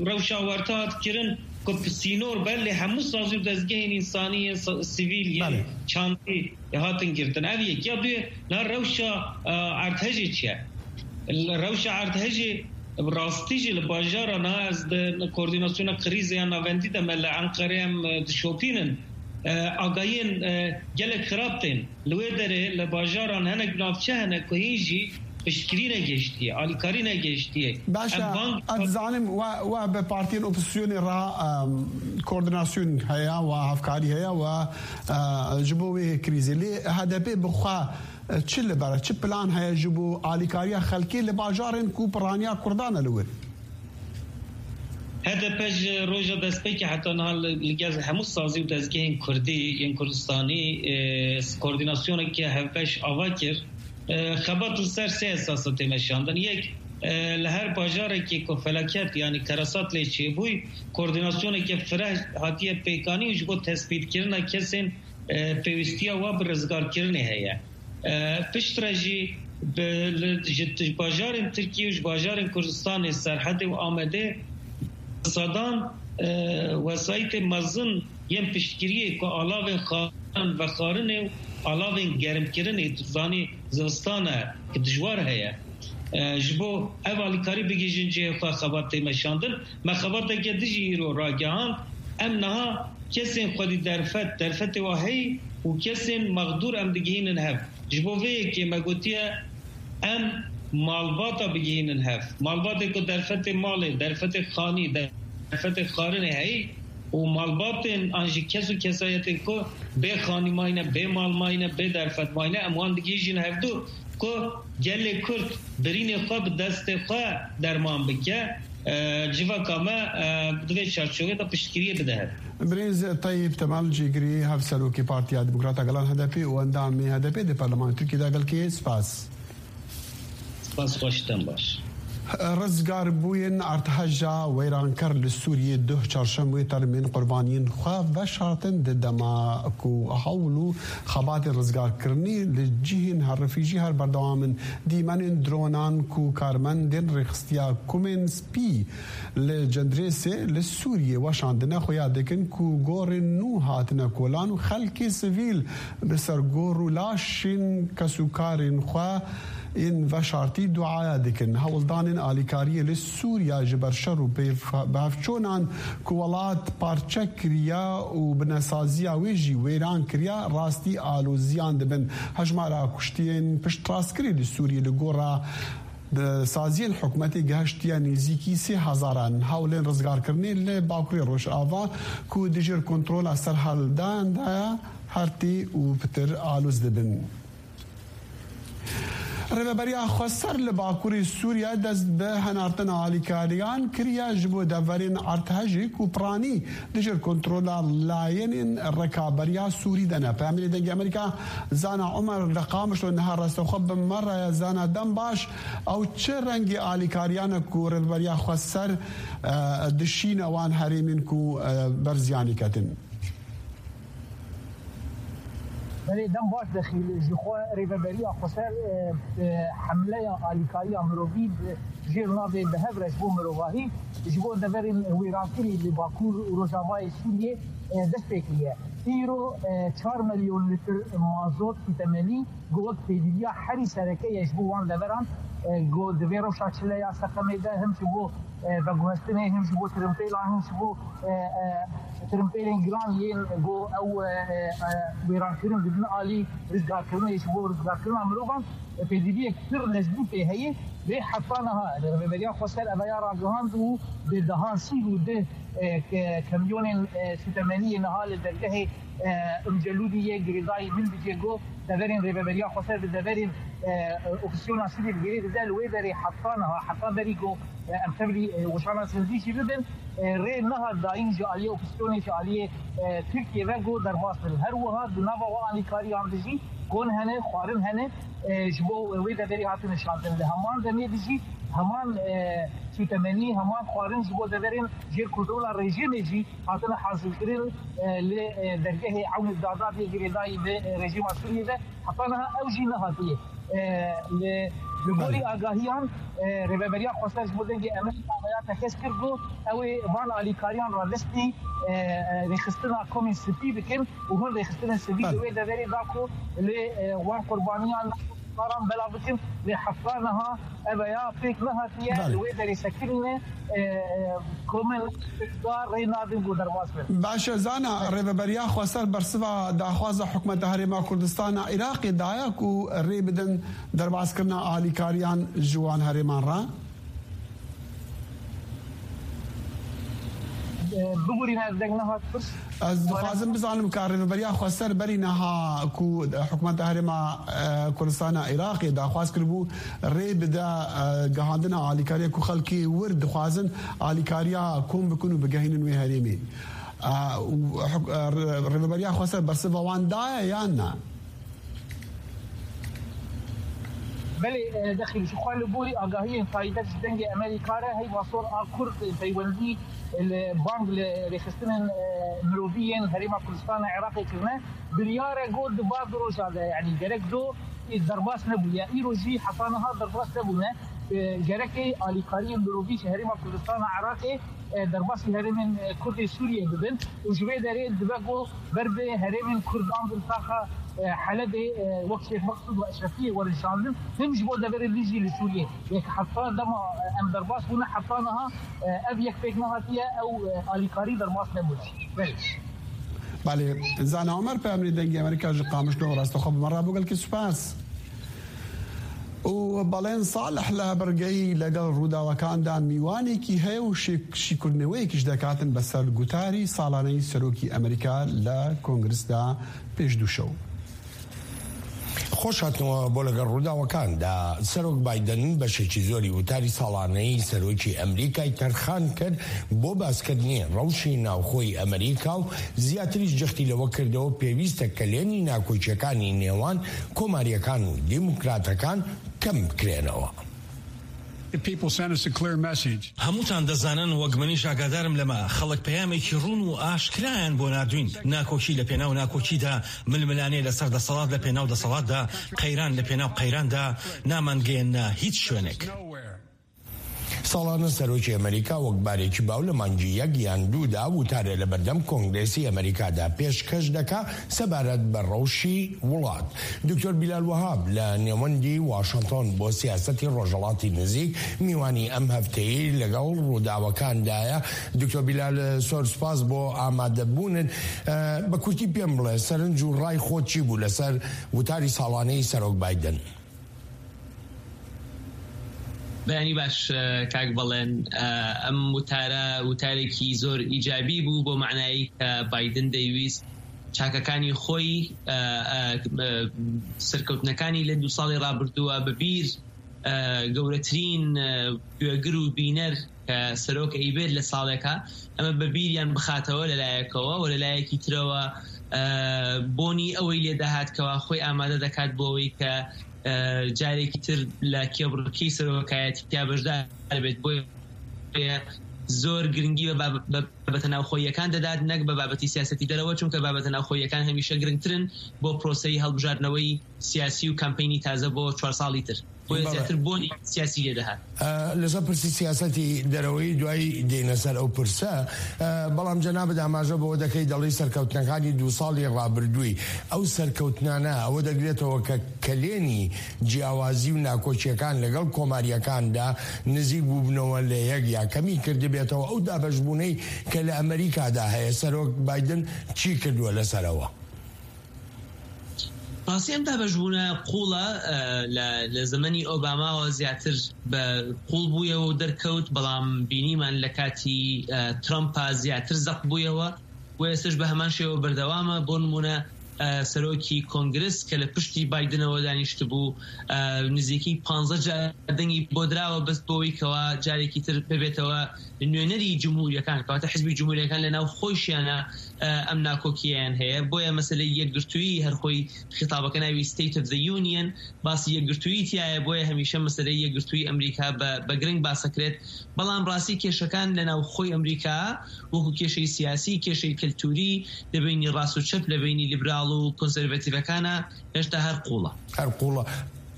rewşa werte hat kirin ku bi sînor ber lê hemû sazî û dezgehên însanî yên sa-, sivîl yên Belê. çandî hatin girtin. Ev yek. Ya duyê, na rewşa, e, erdhejê çi ye? Rewşa erdhejê bi rastî jî li bajara na ez di koordînasyona krîzê ya navendî de me li Enqerê em, e, dişopînin. E, agahiyên, e, gelek xirab tên. Li wê derê li bajaran hinek navçe hene ku hîn jî piştgirî negihiştiye, alîkarî negihiştiye. Baş e, Em bang ez dizanim we, we bi partiyên opozisyonê re, em, koordinasyon heye, we hevkarî heye, we, e, ji bo wê krîzê. Lê H D P bi xwe, e, çi li ber, çi plan heye ji bo alîkariya xelkê li bajarên ku piraniya Kurdan e li wir? H D P ji roja destpêkê heta niha li, li gel hemû sazî û dezgehên kurdî yên Kurdistanî, e, koordînasyoneke hevbeş ava kir. E, xebat li ser sê esas e tê meşandin. Yek, e, li her bajarekê ku felaket, yanî kerasat lê çêbûy, koordînasyoneke fireh hatiye pêkanîn ji bo tespîtkirina kesên, e, pêwîstiya wa bi rizgarkirinê heye. E, piştre jî bi, li, ji t-, bajarên Tirkiyê û ji bajarên Kurdistanê, Serhedê û Amedê sedan, e, wesayîtê mezin yên piştgiriyê ku alavên xarin vexwarinê û alavên germkirinê, tu zanî zivistan e, ki dijwar heye. E, ji bo ev alîkarî bigihîjin cihê xwe xebat tê meşandin. Me xebateke dijî îro ragihand. Em niha kesên xwedî derfet, derfetê wa heyî û kesên mexdûr em digihînin hev. Ji bo vê yekê me gotiye em malbata bigihînin hev. Malbatê ku derfetê malê, derfetê xanî, derfetê xwarinê heyî û malbatên an jî kes û kesayetên ku bê xanî mayne, bê mal mayne, bê derfet mayne, em wan digihîjin hevdû. Ku gelê Kurd birînê xwe bi destê xwe derman bike, e, civaka me, e, di vê çarçovê de piştgiriyê bide hev. Birêz Tayyip Temel, cîgirî Hevserokê Partiya Demokrata Gelan H D P û endamê H D P di Parlemanê Tirkiyê de gelkê spas. Spas, xweş, dem baş. Rizgarbûyên erdheja wêranker li Sûriyê duh çarşemê termên qurbaniyên xwe veşartin, di dema ku hewl û xebatên rizgarkirinî li cihên herifî jî her berdewam in. Dîmenên dronan ku karmendên rêxistiya Kumên Spî li Cendrêsê li Sûriyê weşandine xuya dikin ku gorên nû hatine kolan û xelkê sivîl li ser gor û laşên kesûkarên xwe yên veşartî duaya dikin. Hewldanên alîkariyê li Sûriya ji ber şer û pêv-, bihevçûnan ku welat parçe kiriya û bi nesaziya wê jî wêran kiriya, rastî aloziyan dibin. Hejmara kuştiyên piştrastkirî li Sûriyê li gora di saziyên hikûmetê gihiştiye nêzîkî sê hezaran. Hewlên rizgarkirinê li Bakurê Rojava ku dijî kontrola serhildan de ye, her tê û pitir aloz dibin. Rêveberiya Xweser li Bakurê Sûriye dest bi henartina alîkariyan kiriye ji bo deverên erdhejê ku piranî dijî kontrola layenên rekaberiya Sûrî de ne. Peyamnêrê Dengê Amerîka Zana Omer li Qamişlo niha rastexwe bi me re ye. Zana, dem baş. Ew çi rengî alîkariyan e ku Rêveberiya Xweser, e, dişîne wan herêmên ku, e, ber ziyanî ketin? Belê, dem baş dexîl ji xwe Rêveberiya Xweser, e, e, hemleya alîkariya mirovî bi jêr navê bi hev re ji bo mirovahî ji bo deverên wêrankirî li Bakur û Rojavayê Sûriyê, e, dest pê kiriye. Îro, e, çar milyon lîtir mazot sûtemenî ku wek pêdiviya herî sereke ye ji bo wan deveran, e, ku di vê rewşa çileya seqemê de him ji bo, e, veguhestinê, him ji bo tirimpêlan, him ji bo, e, e, tirimpêlên giran yên ku ew, e, e, e, wêrankirin didin alî rizgarkirinê ji bo rizgarkirina mirovan, e, pêdiviyek pir leşbû pê heye. Lê heta niha Rêveberiya Xweser eveya ragihand û bi dehan sî û du, e, ke-, kamyonên, e, sûtemeniyê niha li dergehê, e, Umcelûdî yê girêdayî Minbicê ku deverên Rêveberiya Xweser bi deverên, e, opîsyona Sûriyê digirê dide li wê derê heta niha, heta berî ku, e, em tevlî, e, weşana sindî jî bibin, e, rê nehat dayîn ji aliyê opîsyonê, ji aliyê, e, Tirkiyê ve ku derbas bin. Her wiha di nava wan alîkariyan de jî kon hene, xwarin hene, e, ji bo wê deverê hatine şandin. Li heman demê de jî heman, e, sûtemenî, heman xwarin ji bo deverên jêr kontrola rejîmê jî hatine hazirkirin, e, li, e, dergehê Ewnê Dadadê girêdayî bi, e, rejîma Sûriyê de. Heta niha ew jî nehatiye. E, li, li gorî agahiyan, e, Rêveberiya Xweser ji bo dengê Amerîka veya tekez kir ku ew ê van alîkariyan radestî, e, e, rêxistina komên sivî bikin û hin rêxistinên sivî li wê deverê da ku lê, e, wan qurbaniyan karan belav bikin, lê heta niha ev ya pêk nehatiye. Belê. Li wê derê sekinîne, e, e, komên îqtidar rê nadin ku derbas bin. Baş e, Zana, Rêveberiya Xweser bersiva daxwaza hikûmeta Herêma Kurdistana Iraqê daye ku rê bidin derbaskirina alîkariyan ji wan herêman re? E, bibûrîne, ez deng nehat pirs. Ez dixwazim bizanim ka Rêveberiya Xweser berî niha ku hikûmeta Herêma, e, Kurdistana Iraqê daxwaz kiribû, rê bide, e, gihandina alîkariya ku xelkê wir dixwazin alîkariya kom bikin û bigehînin wê herêmê. E, û hik-, e, Rê-, Rêveberiya Xweser bersiva wan daye yan na? Belê, e, dexîl ji xwe li gorî agahiyên taybet ji Dengê Amerîka re heyva sor a Kurd peywendî li bang li rêxistinên, e, mirovî yên Herêma Kurdistana Iraqê kirine. Biryar e got di va du roja de, yanî gerek do, e, derbas nebûye. Îro jî heta niha derbas nebûne. E, gerek e alîkariyên mirovî ji Herêma Kurdistana Iraqê, e, derbasî herêmên, e, Kurdê Sûriyê bibin û ji vê derê dibe ku ber bi herêmên Kurdan bin taxa, e, Helebê, e, wek Şêx Meqsûd û Eşrefiyê werin şandin, him ji bo deverê din jî li Sûriyê. Yek heta dema, e, em derbas bûne, heta niha, e, ev yek pêk nehatiye, ew, e, alîkarî derbas nebûne. Belê. Belê, Zana Omer, peyamnê Dengê Amerîka ji Qamişlo, rastexwe bi me re bû, gelkî spas. û Balen Salih li Hebirgeyî لەگەڵ ڕووداوەکاندا میوانێکی هەیە و شێک-، شیکردنەوەیەکیش دەکاتن بەسەر گوتاری ساڵانەی سەرۆکی ئەمریکا لە کۆنگرسدا پێش دوو شەو. خۆش هاتنەوە بۆ لەگەڵ ڕووداوەکاندا. سەرۆک بایدن بەشێکی زۆری وتاری ساڵانەی سەرۆکی ئەمریکای تەرخان کرد بۆ باسکردنی ڕەوشی ناوخۆی ئەمریکا و زیاتریش جەختی لەوە کردەوە پێویستە کەلێنی ناکۆکیەکانی نێوان کۆماریەکان و دیموکراتەکان کەم بکرێنەوە. The people sent us a clear message. هەمووتان دەزانن، وەک منیش ئاگادارم لەمە، خەڵک پەیامێکی ڕوون و ئاشکرایان بۆ ناردوین. ناکۆکی لە پێناو ناکۆکیدا، ململانێ لەسەر دەسەڵات لە پێناو دەسەڵاتدا، قەیران لە پێناو قەیراندا، نامانگەیەنە هیچ شوێنێک. ساڵانە سەرۆکی ئەمریکا وەک بارێکی باو لە مانگی یەک یان دوودا وتارێ لە بەردەم کۆنگرێسی ئەمریکادا پێشکەش دەکا سەبارەت بە ڕەوشی وڵات. دکتۆر بیلال وەهاب لە نێوەندی واشنتۆن بۆ سیاسەتی ڕۆژهەڵاتی نزیک میوانی ئەم هەفتەیە لەگەڵ ڕووداوەکاندایە. دکتۆر بیلال، سۆر سپاس بۆ ئامادەبوونت. ئە، بە کورتی پێم بڵێ، سەرنج و ڕای خۆت چی بوو لەسەر وتاری ساڵانەی سەرۆک بایدن؟ بەیانی باش، ئە، کاک بەڵێن، ئە، ئەم وتارە وتارێکی زۆر ئیجابی بوو بۆ معنایی کە بایدن دەیویست چاکەکانی خۆی، ئە، ئە، ئە، سەرکەوتنەکانی لە دوو ساڵی ڕابردووە بەبیر، ئە، گەورەترین، ئە، گوێگر و بینەر کە سەرۆک ئەیبێت لە ساڵێکە، ئەمە بە بیریان بخاتەوە لە لایەکەوە و لە لایەکی ترەوە، ئە، بۆنی ئەوەی لێ دەهات کەوا خۆی ئامادە دەکات بۆ ئەوەی کە، ئە، جارێکی تر لە کێبڕکێی سەرۆکایەتییا بەشدار بێت. بۆیە زۆر گرنگی بە باب-، بە بابەتە ناوخۆییەکان دەدات، نەک بە بابەتی سیاسەتی دەرەوە، چونکە بابەتە ناوخۆییەکان هەمیشە گرنگترن بۆ پرۆسەی هەڵبژاردنەوەی سیاسی و کامپەینی تازە بۆ چوار ساڵی تر. بۆیە بەڵێ. زیاتر بۆنی سیاسی لێ دەهات. ئە، لەسەر پرسی سیاسەتی دەرەوەی دوایی دێنە سەر ئەو پرسە. ئە، بەڵام جەنابت ئاماژە بۆ دەکەی، دەڵی سەرکەوتنەکانی دوو ساڵی ڕابردووی، ئەو سەرکەوتنانە ئەوە دەگرێتەوە کە کەلێنی جیاوازی و ناکۆچیەکان لەگەڵ کۆماریەکاندا نزیک بووبنەوە لە یەک یا کەمی کردبێتەوە. ئەو دابەشبوونەی کە لە ئەمریکادا هەیە، سەرۆک بایدن چی کردووە لەسەرەوە؟ ڕاستی ئەم دابەشبوونە قوڵە، ئە، لە، لە زەمەنی ئۆباماوە زیاتر بە قوڵ بوویەوە و دەرکەوت، بەڵام بینیمان لە کاتی، ئە، ترەمپا زیاتر زەق بوویەوە و ئێستش بە هەمان شێوە بەردەوامە. بۆ نمونە، ئە، سەرۆکی کۆنگرس کە لە پشتی بایدنەوە دانیشت بوو، ئە، نزیکی پانزە جار دەنگی بۆ دراوە، بەس بۆەوەی کەوا جارێکی تر ببێتەوە نوێنەری جمهوریەکان، کەواتە حزبی جمهوریەکان لە ناو خۆیشیانە، ئە، ئەم ناکۆکییان هەیە. بۆیە مەسەلەی یەکگرتوویی، هەر خۆی خیتابەکە ناوی State of the Union، باسی یەکگرتوویی تایە، بۆیە هەمیشە مەسەلەی یەکگرتوویی ئەمریکا بە، بە گرنگ باسەکرێت. بەڵام ڕاستی کێشەکان لە ناو خۆی ئەمریکا، وەکو کێشەی سیاسی، کێشەی کەلتوری، لە بینی ڕاست و چەپ، لە بینی لیبرال و کۆنسەرڤەتیڤەکانە، هێشتا هەر قوڵە. هەر قوڵە.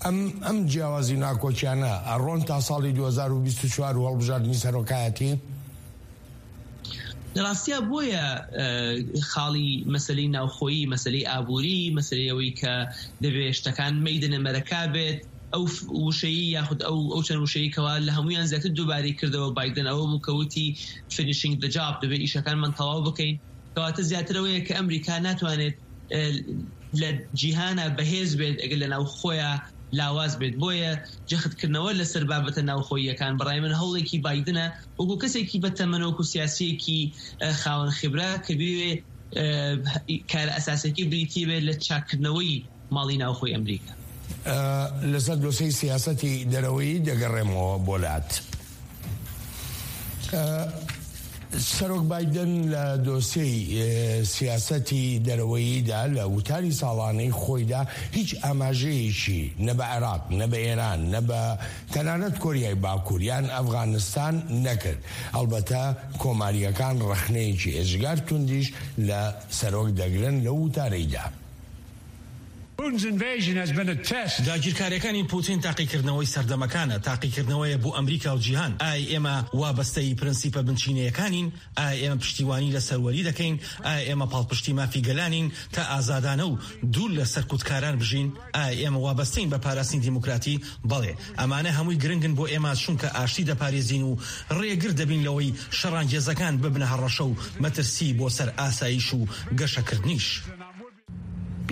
ئەم، ئەم جیاوازی ناکۆکیانە ئەڕۆن تا ساڵی دوو هەزار و بیست و چوار و هەڵبژاردنی سەرۆکایەتی؟ لە ڕاستیا بۆیە، ئە، خاڵی مەسەلەی ناوخۆیی، مەسەلەی ئابووری، مەسەلەی ئەوەی کە دەبێ شتەکان مەیدنە مەرەکا بێت، ئەو ف-، وشەیی یاخود ئەو، ئەو چەند وشەیی کەوا لە هەمویان زیاتر دووبارەی کردەوە بایدن، ئەوە بوو کە وتی finishing the job، دەبێ ئیشەکانمان تەواو بکەین. کەواتە زیاتر ئەوەیە کە ئەمریکا ناتوانێت، ئە، لە جیهانە بەهێز بێت ئەگەر لە ناو خۆیە لاواز بێت. بۆیە جەختکردنەوە لەسەر بابەتە ناوخۆییەکان بەڕای من هەوڵێکی بایدنە، وەکو کەسێکی بە تەمەن، وەکو سیاسیەکی، ئە، خاوەن خبرە کە بوێ، ئە، کارە ئەساسێکی بریتی بێت لە چاکردنەوەی ماڵی ناوخۆی ئەمریکا. ئە، لەسەر دۆسەی سیاسەتی دەرەوەی دەگەڕێمەوە بۆ لات. ئە، سەرۆک بایدن لە دۆسەی، ئە، سیاسەتی دەرەوەییدا لە وتاری ساڵانەی خۆیدا هیچ ئاماژەیەکی نە بە عێراق، نە بە ئێران، نە بە تەنانەت کۆریای باکوور یان ئەفغانستان نەکرد. ئەلبەتە کۆماریەکان ڕەخنەیەکی ئێجگار توندیش لە سەرۆک دەگرن لە وتارەیدا. Putin's invasion has been a test. داگیرکاریەکانی پوتین تاقیکردنەوەی سەردەمەکانە، تاقیکردنەوەیە بۆ ئەمریکا و جیهان. ئایا ئێمە وابەستەی پرەنسیپە بنچینەیەکانین؟ ئایا ئێمە پشتیوانی لە سەروەری دەکەین؟ ئایا ئێمە پاڵپشتی مافی گەلانین تا ئازادانە و دوور لە سەرکوتکاران بژین؟ ئایا ئێمە وابەستەین بە پاراستنی دیموکراتی؟ بەڵێ، ئەمانە هەمووی گرنگن بۆ ئێمە، چونکە ئاشتی دەپارێزین و ڕێگر دەبین لەوەی شەڕانگێزەکان ببنە هەڕەشە و مەترسی بۆ سەر ئاسایش و گەشەکردنیش.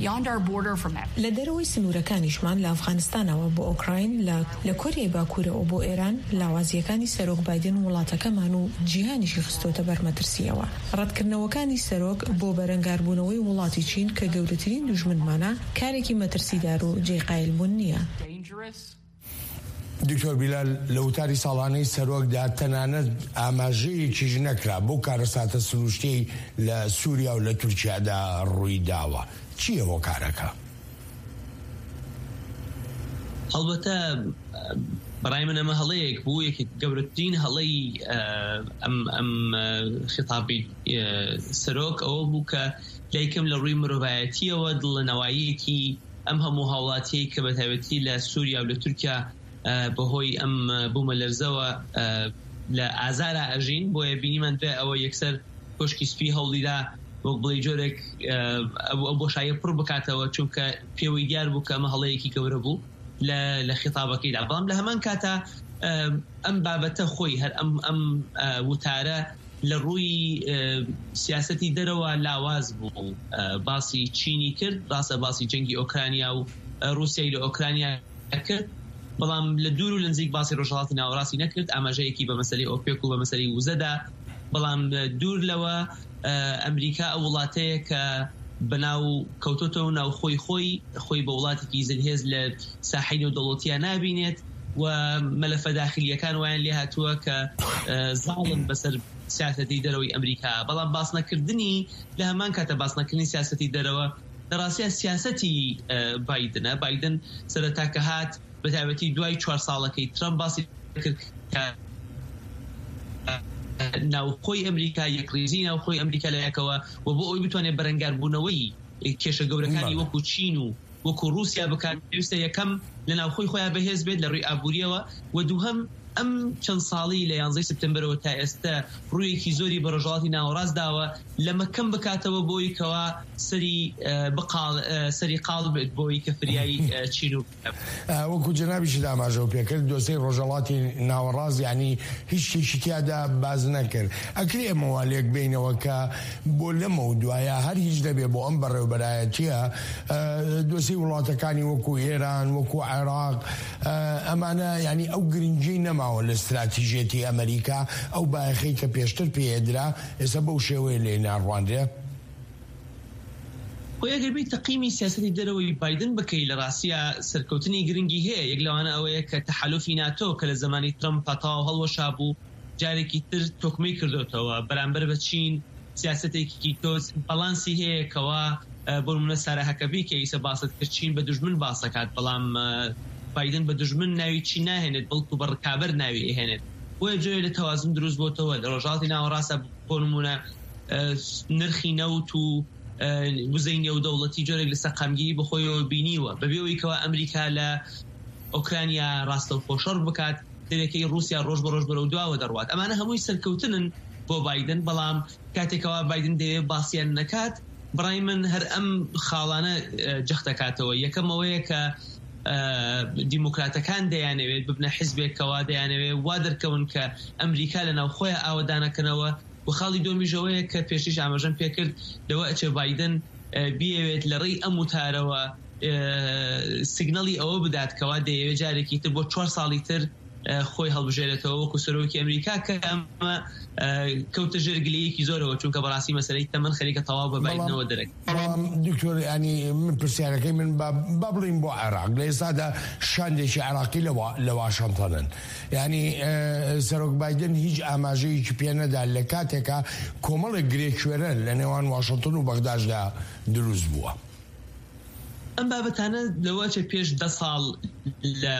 Beyond our border from Af- لە دەرەوەی سنوورەکانیشمان، لە ئەفغانستانەوە بۆ ئۆکراین، لە، لە کۆریای باکوورەوە بۆ ئێران، لاوازیەکانی سەرۆک بایدن وڵاتەکەمان و جیهانیشی خستۆتە بەر مەترسیەوە. ڕەتکردنەوەکانی سەرۆک بۆ بەرەنگاربوونەوەی وڵاتی چین کە گەورەترین دوژمنمانە، کارێکی مەترسیدار و جێی قایلبوون نییە. دکتۆر بیلال، لە وتاری ساڵانەی سەرۆکدا تەنانەت ئاماژەیەکیش نەکرا بۆ کارەساتە سروشتەی لە سووریا و لە تورکیادا ڕووی داوە. چییە هۆکارەکە؟ هەڵبەتە، بەڕای من ئەمە هەڵەیەک بوو، یەکێک گەورەترین هەڵەی، ئە، ئەم، ئەم، ئە، خیتابی، ئە، سەرۆک ئەوە بوو کە لای کەم لە ڕووی مرۆڤایەتیەوە دڵەنەواییەکی ئەم هەموو هاوڵاتیەی کە بە تایبەتی لە سووریا و لە تورکیا، ئە، بەهۆی ئەم، ئە، بوومەلەرزەوە، ئە، لە ئازارا ئەژین. بۆیە بینیمان دوای ئەوە یەکسەر کۆشکی سپی هەوڵیدا وەک بڵێ جۆرێک، ئە، ئەو، ئەو بۆشاییە پڕ بکاتەوە، چونکە پێوەی دیار بوو کە ئەمە هەڵەیەکی گەورە بوو لە، لە خیتابەکەیدا. بەڵام لە هەمان کاتا، ئە، ئەم بابەتە خۆی، هەر ئەم، ئەم، ئە، وتارە لە ڕووی، ئە، سیاسەتی دەرەوە لاواز بوو. ئە، باسی چینی کرد، ڕاستە باسی جەنگی ئۆکرانیا و، ئە، رووسیای لە ئۆکرانیا کرد، بەڵام لە دوور و لە نزیک باسی ڕۆژهەڵاتی ناوەڕاستی نەکرد. ئاماژەیەکی بە مەسەلەی ئۆپێک و بە مەسەلەی وزەدا، بەڵام، ئە، دوور لەوە، ئە، ئەمریکا ئەو وڵاتەیە کە بەناو کەوتۆتەوە ناو خۆی خۆی، خۆی بە وڵاتێکی زلهێز لە ساحەی نێودەوڵەتیە نابینێت و مەلەفە داخلیەکان وایان لێ هاتووە کە، ئە، زاڵن بەسەر سیاسەتی دەرەوەی ئەمریکا. بەڵام باسنەکردنی، لە هەمان کاتە باسنەکردنی سیاسەتی دەرەوە لە ڕاستیا سیاسەتی، ئە، بایدنە. بایدن سەرەتا کە هات، بە تایبەتی دوای چوار ساڵەکەی ترەمپ، باسی کرد کە ناوخۆی ئەمریکا، یەکڕیزی ناوخۆی ئەمریکا لە یەکەوە، و بۆ ئەوەی بتوانێت بەرەنگاربوونەوەی کێشە گەورەکانی بەڵێ. وەکو چین و وەکو رووسیا بکات، پێویستە یەکەم لە ناوخۆی خۆیان بەهێز بێت لە ڕووی ئابووریەوە، و دووهەم ئەم چەند ساڵی لە یانزەی سەپتەمبەرەوە تا ئێستا ڕوویەکی زۆری بە ڕۆژهەڵاتی ناوەڕاست داوە، لەمە کەم بکاتەوە بۆی کەوا سەری، ئە، بقاڵ-، ئە، سەری قاڵ بێت بۆی کە فریای، ئە، چین و ئە، وەکو جەنابیشت ئاماژە و پێکرد، دۆسەی ڕۆژهەڵاتی ناوەڕاست، یعنی، هیچ شتێکی تیادا باز نەکرد. ئەکرێ ئێمە وا لێک بینەوە کە بۆ لەمە و دوایە هەر هیچ نەبێ بۆ ئەم بەڕێوبەرایەتیە، ئە، دۆسەی وڵاتەکانی وەکو ئێران، وەکو عێراق، ئە، ئەمانە، یعنی، ئەو گرنگی نەماوە لە استراتیژێتی ئەمریکا، ئەو بایەخەی کە پێشتر پێدرا، ئێستا بەو شێوەیە لێ ناڕوانرێ. خۆ ئەگەر بێی تەقیمی سیاسەتی دەرەوەی بایدن بکەی، لە ڕاستیە سەرکەوتنی گرنگی هەیە. یەک لەوانە ئەوەیە کە تەحالوفی ناتۆ کە لە زمانی ترەمپ پەتاو هەڵوەشا بوو، جارێکی تر تۆکمەی کردوتەوە بەرامبەر بە چین. سیاسەتێکی تۆز بەڵانسی هەیە کەوا، ئە، بۆ نمونە سارا هەکەبی کە ئیسە باست کرد، چین بە دوژمن باس دەکات، بەڵام، ئە، بایدن بە دوژمن ناوی چین ناهێنێت، بەڵکو بە ڕکابەر ناوی ئەهێنێت. بۆیە جۆرێ لە تەوازن دروست بۆتەوە لە ڕۆژهەڵاتی ناوەڕاستە. بۆ نمونە، ئە، نرخی نەوت و، ئە، وزەی نێودەوڵەتی جۆرێک لە سەقامگیری بەخۆیەوە بینیوە، بەبێ ئەوەی کەوا ئەمریکا لە ئۆکرانیا ڕاستەوخۆ شەڕ بکات، دەرەکەی رووسیا ڕۆژ بە ڕۆژ بەرەو دواوە دەڕوات. ئەمانە هەمووی سەرکەوتنن بۆ بایدن، بەڵام کاتێکەوە بایدن دەیەوێت باسییان نەکات، بڕای من هەر ئەم خاڵانە، ئە، جەخت دەکاتەوە. یەکەم ئەوەیە کە، ئە، دیموکراتەکان دەیانەوێت ببنە حیزبێکەوە، دەیانەوێت وا دەرکەون کە ئەمریکا لە ناوخۆیان ئاوەدانەکەنەوە. و خاڵی دومیش ئەوەیە کە پێشتریش ئاماژەم پێکرد، لەوە ئەچێ بایدن، ئە، بیەوێت لە ڕێی ئەم وتارەوە، ئە، سیگنەڵی ئەوە بدات کەوا دەیەوێت جارێکی تر بۆ چوار ساڵی تر، ئە، خۆی هەڵبژێرێتەوە وەکو سەرۆکی ئەمریکا، کە ئەمە، ئە، کەوتە ژێر گلەیەکی زۆرەوە، چونکە بەڕاستی مەسەلەی تەمەن خەریکە تەواو بە بایدنەوە دەرەکە. بەڵام دکتۆر، یعنی، من پرسیارەکەی من با، با بڵین بۆ عێراق. لە ئێستادا شاندێکی عێراقی لە وا-، لە واشنگتنن. یعنی، ئە، سەرۆک بایدن هیچ ئاماژەیەکی پێ نەدا لە کاتێکا کۆمەڵێک گرێکوێرە لە نێوان واشنگتن و بەغداشدا دروست بووە. ئەم بابەتانە لەوە چێ پێش دە ساڵ لە،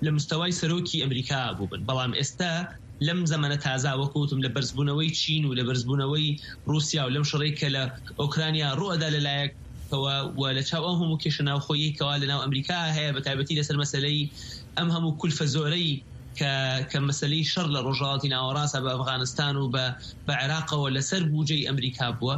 لە مستەوای سەرۆکی ئەمریکا بووبن، بەڵام ئێستا لەم زەمەنە تازا، وەکوتم، لە بەرزبوونەوەی چین و لە بەرزبوونەوەی رووسیا و لەم شەڕەی کە لە ئۆکرانیا ڕووەدا لەلایەکەوە و لە چاو ئەو هەموو کێشە ناوخۆیی کەوا لە ناو ئەمریکا هەیە، بە تایبەتی لەسەر مەسەلەی ئەم هەموو کولفە زۆرەی کە، کە مەسەلەی شەڕ لە ڕۆژهەڵاتی ناوەڕاستە بە ئەفغانستان و بە، بە عێراقەوە لەسەر بودجەی ئەمریکا بووە.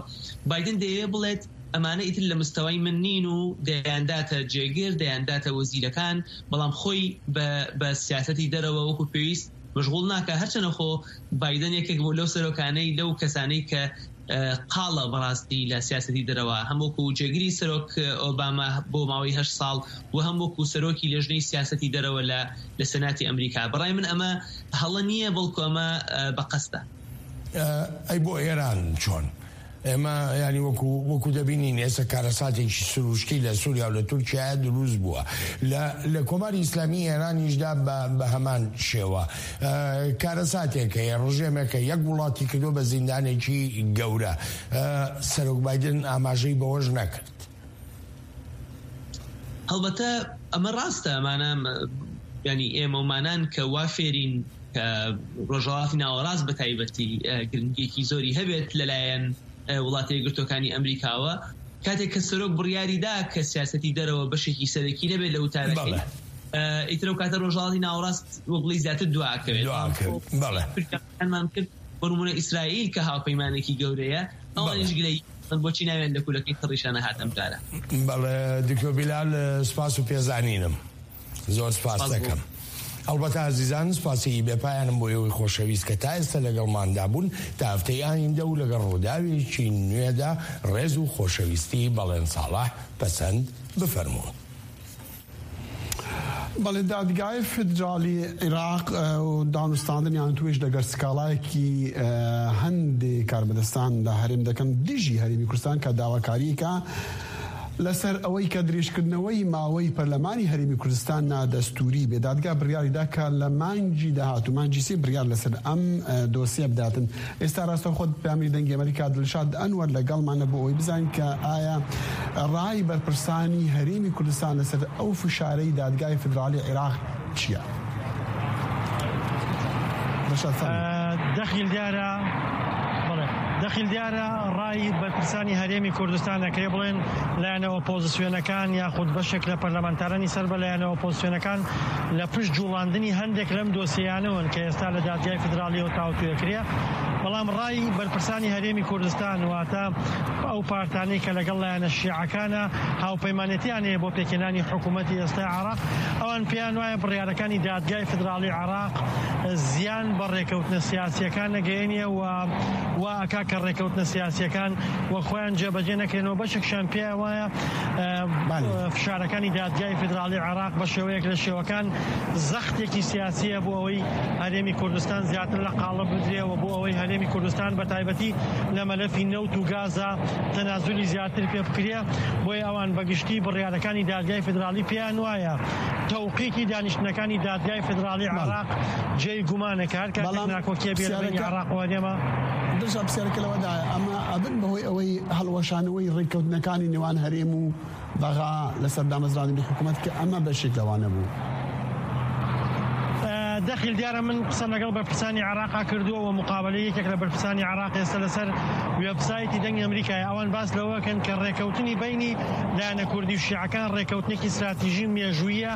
بایدن دەیەوێت بڵێت ئەمانە ئیتر لە مستەوای من نین و دەیانداتە جێگر، دەیانداتە وەزیرەکان، بەڵام خۆی بە، بە سیاسەتی دەرەوە وەکو پێویست مشغول ناکە. هەرچەنە خۆ بایدن یەکێک بوو لەو سەرۆکانەی، لەو کەسانەی کە، ئە، قاڵە بەڕاستی لە سیاسەتی دەرەوە، هەم وەکو جێگری سەرۆک ئۆباما بۆ ماوەی هەشت ساڵ و هەم وەکو سەرۆکی لێژنەی سیاسەتی دەرەوە لە، لە سەناتی ئەمریکا. بەڕای من ئەمە هەڵە نییە، بەڵکو ئەمە، ئە، بە قەستە. ئە، ئەی بۆ ئێران چۆن؟ ئێمە، یعنی، وەکو، وەکو دەبینین، ئێستا کارەساتێکی سروشتی لە سووریا و لە تورکیا دروست بووە. لە، لە کۆماری ئیسلامی ئێرانیشدا بە، بە هەمان شێوە. ئە، کارەساتێک هەیە، ڕژێمێک هەیە، یەک وڵاتی کردو بە زیندانێکی گەورە. ئە، سەرۆک بایدن ئاماژەی بەوەش نەکرد. هەڵبەتە ئەمە ڕاستە، ئەمانە، م-، یعنی ئێمە ومانان کە وا فێرین کە ڕۆژهەڵاتی ناوەڕاست بە تایبەتی، ئە، گرنگیەکی زۆری هەبێت لەلایەن، ئە، وڵاتە یەکگرتوەکانی ئەمریکاوە. کاتێک کە سەرۆک بڕیاری دا کە سیاسەتی دەرەوە بەشێکی سەرەکی نەبێت لە وتارەکەی، بەڵێ. ئە، ئیتر ئەو کاتە ڕۆژهەڵاتی ناوەڕاست وەک بڵێ زیاتر دوا کەوێت. دوا کەوێت، بەڵێ. تورکیامان کرد، بۆ نمونە ئیسرائیل کە هاوپەیمانێکی گەورەیە، ئەوانیش بەڵێ. گلەی بۆچی ناویان لە کولەکەی تەڕیشانە هاتەم جارە. بەڵێ، دکتۆر بیلال، سپاس و پێزانینم. زۆر سپاس سپاس بۆ دەکەم. ئەڵبەتە ئازیزان، سپاسی بێپایانم بۆ ئێوەی خۆشەویست کە تا ئێستا لەگەڵماندا بوون. تا هەفتەی ئایندە و لەگەڵ ڕووداوێکی نوێدا، ڕێز و خۆشەویستی بەڵێن ساڵح پەسەند بفەرموون. بەڵێ، دادگای فیدرالی عێراق، ئە، و دانوستاندن یان توێژ لەگەر سکاڵایەکی، ئە، هەندێک کاربەدەستان لە هەرێم دەکەن دژی هەرێمی کوردستان کە داواکاریەکە لەسەر ئەوەی کە درێژکردنەوەی ماوەی پەرلەمانی هەرێمی کوردستان نادەستوری بێ. دادگا بڕیاری دا کە لە مانگی داهاتوو، مانگی سێ، بڕیار لەسەر ئەم، ئە، دۆسیە بداتن. ئێستا ڕاستەوخۆ پەیامەری دەنگی ئەمریکا دڵشاد ئەنوەر لەگەڵمانە بۆ ئەوەی بزانین کە ئایا ڕای بەرپرسانی هەرێمی کوردستان لەسەر ئەو فشارەی دادگای فیدرالی عێراق چییە؟ ڕەشاد فەرموو. ئە، دەخیل دیارە، بەڵێ، دەخیل دیارە ڕای بەرپرسانی هەرێمی کوردستان دەکرێ بڵێن لایەنە ئۆپۆزیسیۆنەکان یاخود بەشێک لە پەرلەمانتارانی سەر بە لایەنە ئۆپۆزیسیۆنەکان لە پشت جوڵاندنی هەندێک لەم دۆسیانەوەن کە ئێستا لە دادگای فیدراڵیەوە تاوتوێکرێ. بەڵام ڕای بەرپرسانی هەرێمی کوردستان، واتە ئەو پارتانەی کە لەگەڵ لایەنە شیعەکانە هاوپەیمانێتیان هەیە بۆ پێکهێنانی حکوومەتی ئێستای عێراق، ئەوان پێیان وایە بڕیارەکانی دادگای فیدراڵی عێراق زیان بە ڕێکەوتنە سیاسیەکان نەگەیەنیە و وا ئەکا کە ڕێکەوتنە سیاسیەکان وە خۆیان جێبەجێ نەکرێنەوە. بەشێکشان پێیان وایە، ئە، بەڵێ. فشارەکانی دادگای فیدراڵی عێراق بە شێوەیەک لە شێوەکان زەختێکی سیاسیە بۆ ئەوەی هەرێمی کوردستان زیاتر لە قاڵب بدرێ و بۆ ئەوەی هەرێمی کوردستان بە تایبەتی لە مەلەفی نەوت و گازە تەنازولی زیاتر پێ بکرێ. بۆیە ئەوان بەگشتی بڕیارەکانی دادگای فیدراڵی پێیان وایە تەوقیتی دانیشتنەکانی دادگای فیدراڵی بەڵێ. عێراق جێی گومانە کە هەر کاتێک بەڵام ناکۆکیە بێ لە بینی پرسیارەکە عێراق و هەرێمە. درجا پرسیارەکە لەوەدایە، ئەمە ئەبن بەهۆی ئەوەی هەڵوەشانەوەی ڕێککەوتنەکانی نێوان هەرێم و بەغا لەسەر دامەزراندنی حکوومەت کە ئەمە بەشێک لەوانە بوو. ئە، دەخیل دیارە من قسەم لەگەڵ بەرپرسانی عێراقا کردووە و مقابلەی یەکێک لە بەرپرسانی عێراق ئێستا لەسەر وێبسایتی دەنگی ئەمریکایە. ئەوان باس لەوەکەن کە ڕێکەوتنی بینی لایەنە کوردی و شیعەکان ڕێکەوتنێکی استراتیژی و مێژوویە،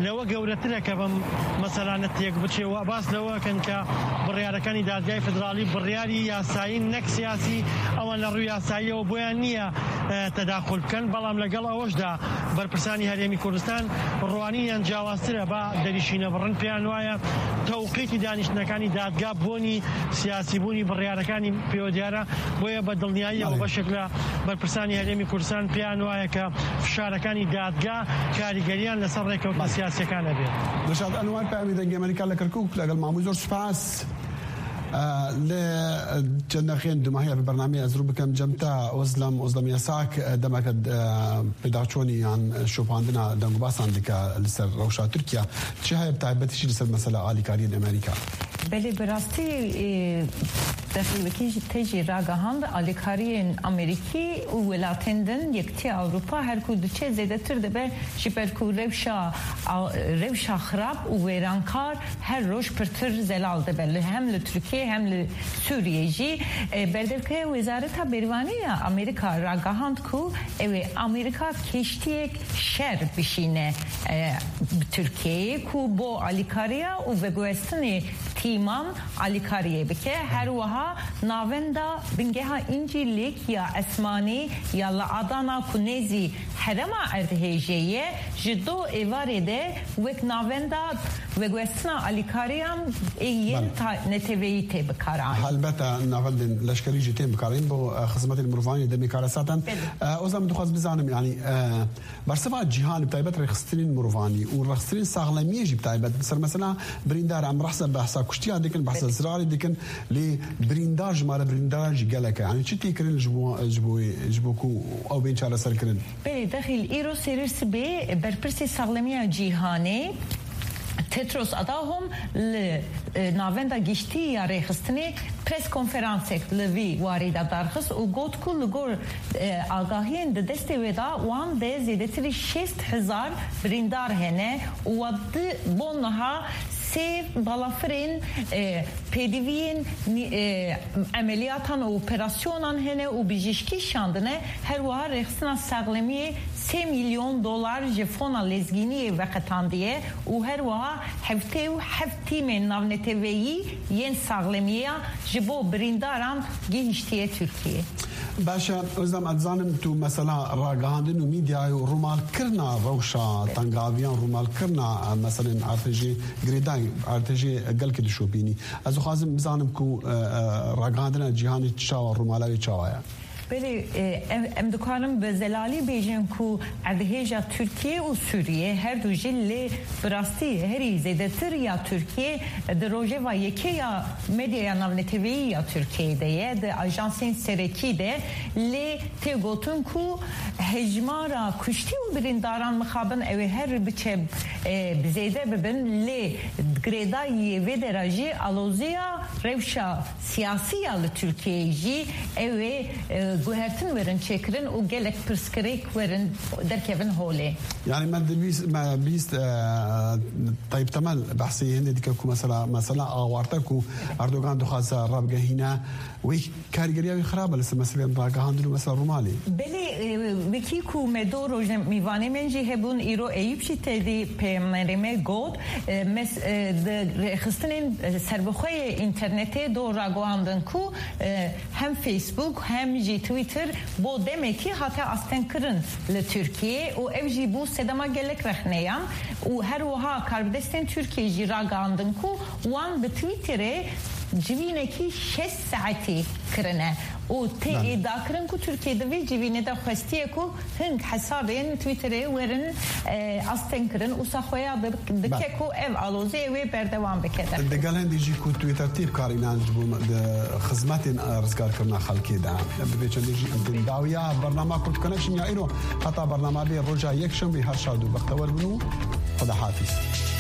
لەوە گەورەترە کە بەم مەسەلانە تێک بچێ و باس لەوەکەن کە بڕیارەکانی دادگای فیدراڵی بڕیاری یاسایی نەک سیاسی، ئەوان لە ڕووی یاساییەوە بۆیان نییە، ئە، تەداخل بکەن. بەڵام لەگەڵ ئەوەشدا بەرپرسانی هەرێمی کوردستان ڕوانینیان جیاوازترە، با دەریشینە بڕن. پێیان وایە تەوقیتی دانیشتنەکانی دادگا بۆنی سیاسی بوونی بڕیارەکانی پێوە دیارە. بۆیە بە دڵنیاییەوە بەڵێ. بەشێک لە بەرپرسانی هەرێمی کوردستان پێیان وایە کە فشارەکانی دادگا کاریگەریان لەسەر ڕێکەوتنە بەڵێ. سیاسیەکان هەبێت. دڵشاد ئەنوار، پەیامی دەنگی ئەمریکا لە کەرکووک، لەگەڵ ماموی زۆر سوپاس. ئە، لە چەند دەقەیەن دوماهەیە بە بەرنامەی ئەزرو بکەم جەمتا ئۆزلەم، ئۆزلەم یاساک، ئە، دەمەکە، ئە، پێداچوونی یان شوپاندنا دەنگوباسان دکە لەسەر ڕەوشا تورکیا. چی هەیە بە تایبەتیشی لەسەر مەسەلە ئالیکاریین ئەمریکا؟ Belê, bi rastî, e, dexîlekî jî tê jî ragihand alîkariyên Amerîkî û welatên din, Yekîtiya Ewropa, her ku diçe zêdetir dibe, ji ber ku rewşa, a, rewşa xirab û wêrankar her roj pirtir zelal dibe, li, hem li Tirkiye hem li Sûriye jî. E, berdevkeya Wezareta Bervanî ya Amerîka ragihand ku ew ê Amerîka kêştiyek şer bişîne, e, bi Tirkiyeyê ku bo alîkariya û veguhestinê tîman alîkariyê bike. Her wiha navenda bingeha Încîlîk ya Esmanî ya li Adana ku nêzî herêma erdhêjê ye, ji do êvarê de wek navenda veguhestina alîkariyan ê yên Belê. ta-, neteweyî tê bikaranîn. Helbete navendên leşkerî jî tên bikaranîn bo, e, xizmetên mirovan ê demê kare zaten. Belê. E, o zaman dixwaz bizanim, yani, e, bersiva cîhanê, bi taybet rêxistinên mirovan û rêxistinên saxlemiyê jî bi taybet. Ser mesela birîndar, em behsa, behsa kuştiya dikin, behsa Belê. zirarê dikin, lê birîndar, jimare birîndar jî gelek e. Yani çi tê kirin ji bo, ji bo, ji bo ku ew bên çareserkirin? Belê, dexîl îro serê sibê berpirsê saxlemiya cîhanê Tedros Adhanom li, e, navenda giştî ya rêxistinê pres konferansek li vî warî de darxist û got ku li gor, e, agahiyên di destê wê de wan de zêdetirî şêst hezar birîndar hene û wa di bo niha sê balafirên, e, pêdiviyên nî-, e, emeliyatan û operasyonan hene û bijîşkî şandine. Her wiha rêxistina saxlemiyê sê milyon dolar ji fona lezgîniyê veqetandiye û her wiha heftê û heft tîmên navneteweyî yên saxlemiya ji bo birîndaran gihiştiye Tirkiyê. Baş e, Ozlem, ez dizanim tu mesela ragihandin û mîdyayê û rûmalkirina rewşa tengaviyan, rûmalkirina, e, meselên artêjê girêdayî, artêjê gelkê dişopînî. Ez dixwazim bizanim ku, e, e, ragihandina cîhanê çawa, rûmala wê çawa ye? Belê, e, em, em dikarin bi zelalî bêjin ku erdhêja Tirkiye û Sûriye her du jî lê bi rastî herî zêdetir ya Tirkiye di rojeva yekê ya medyaya navneteweyî ya Tirkiyeyê de ye, di ajansên serekî de lê tê gotin ku hejmara kuştî û birîndaran mixabin ew ê her biçe, e, bi zêde bibin, lê girêdayî yê vê dera jî aloziya rewşa siyasî ya li Tirkiyeyê jî ew ê, e, guhertin werin çêkirin û gelek pirsgirêk werin derkevin holê. Yani me dibîst, me bîst, e, Tayyip Temel behsê hindê dike ku mesela, mesela awarte ku Erdogan dixwaze rabigehîne, wê karîgeriya wî xirab e li ser meseleyên ragihandin û mesela rûmalê. Belê, e, wekî ku me do rojnamîvanê men jî hebûn, îro Eyûp jî tevî peyamnamê me got, e, mes-, e, di rêxistinên, e, serbixwe yê înternetê do ragihandin ku, e, hem Facebook hem jî Twitter bo demekî hate astengkirin li Tirkiyê û ev jî bû sedema gelek rexneyan û her wiha karbidestên Tirkiyê jî ragihandin ku wan bi Twitterê civînekî şeş saetî kirine û tê Belê. êdakirin ku Tirkiye di vê civînê de xwestiye ku hing hesabên Twitterê werin, e, astengkirin û saxweya di-, dike Belê. ku ev alozê wê berdewam bike. Digel hindî jî ku Twitter tê bikarînan ji bo di xizmetên, e, rizgarkirina xelkê de. Bi vê çendê jî em tên dawiya bernama Kurd Connection ya îro. Heta bernama bê roja yekşemê her şad û bextewer bin û Xweda hafîz.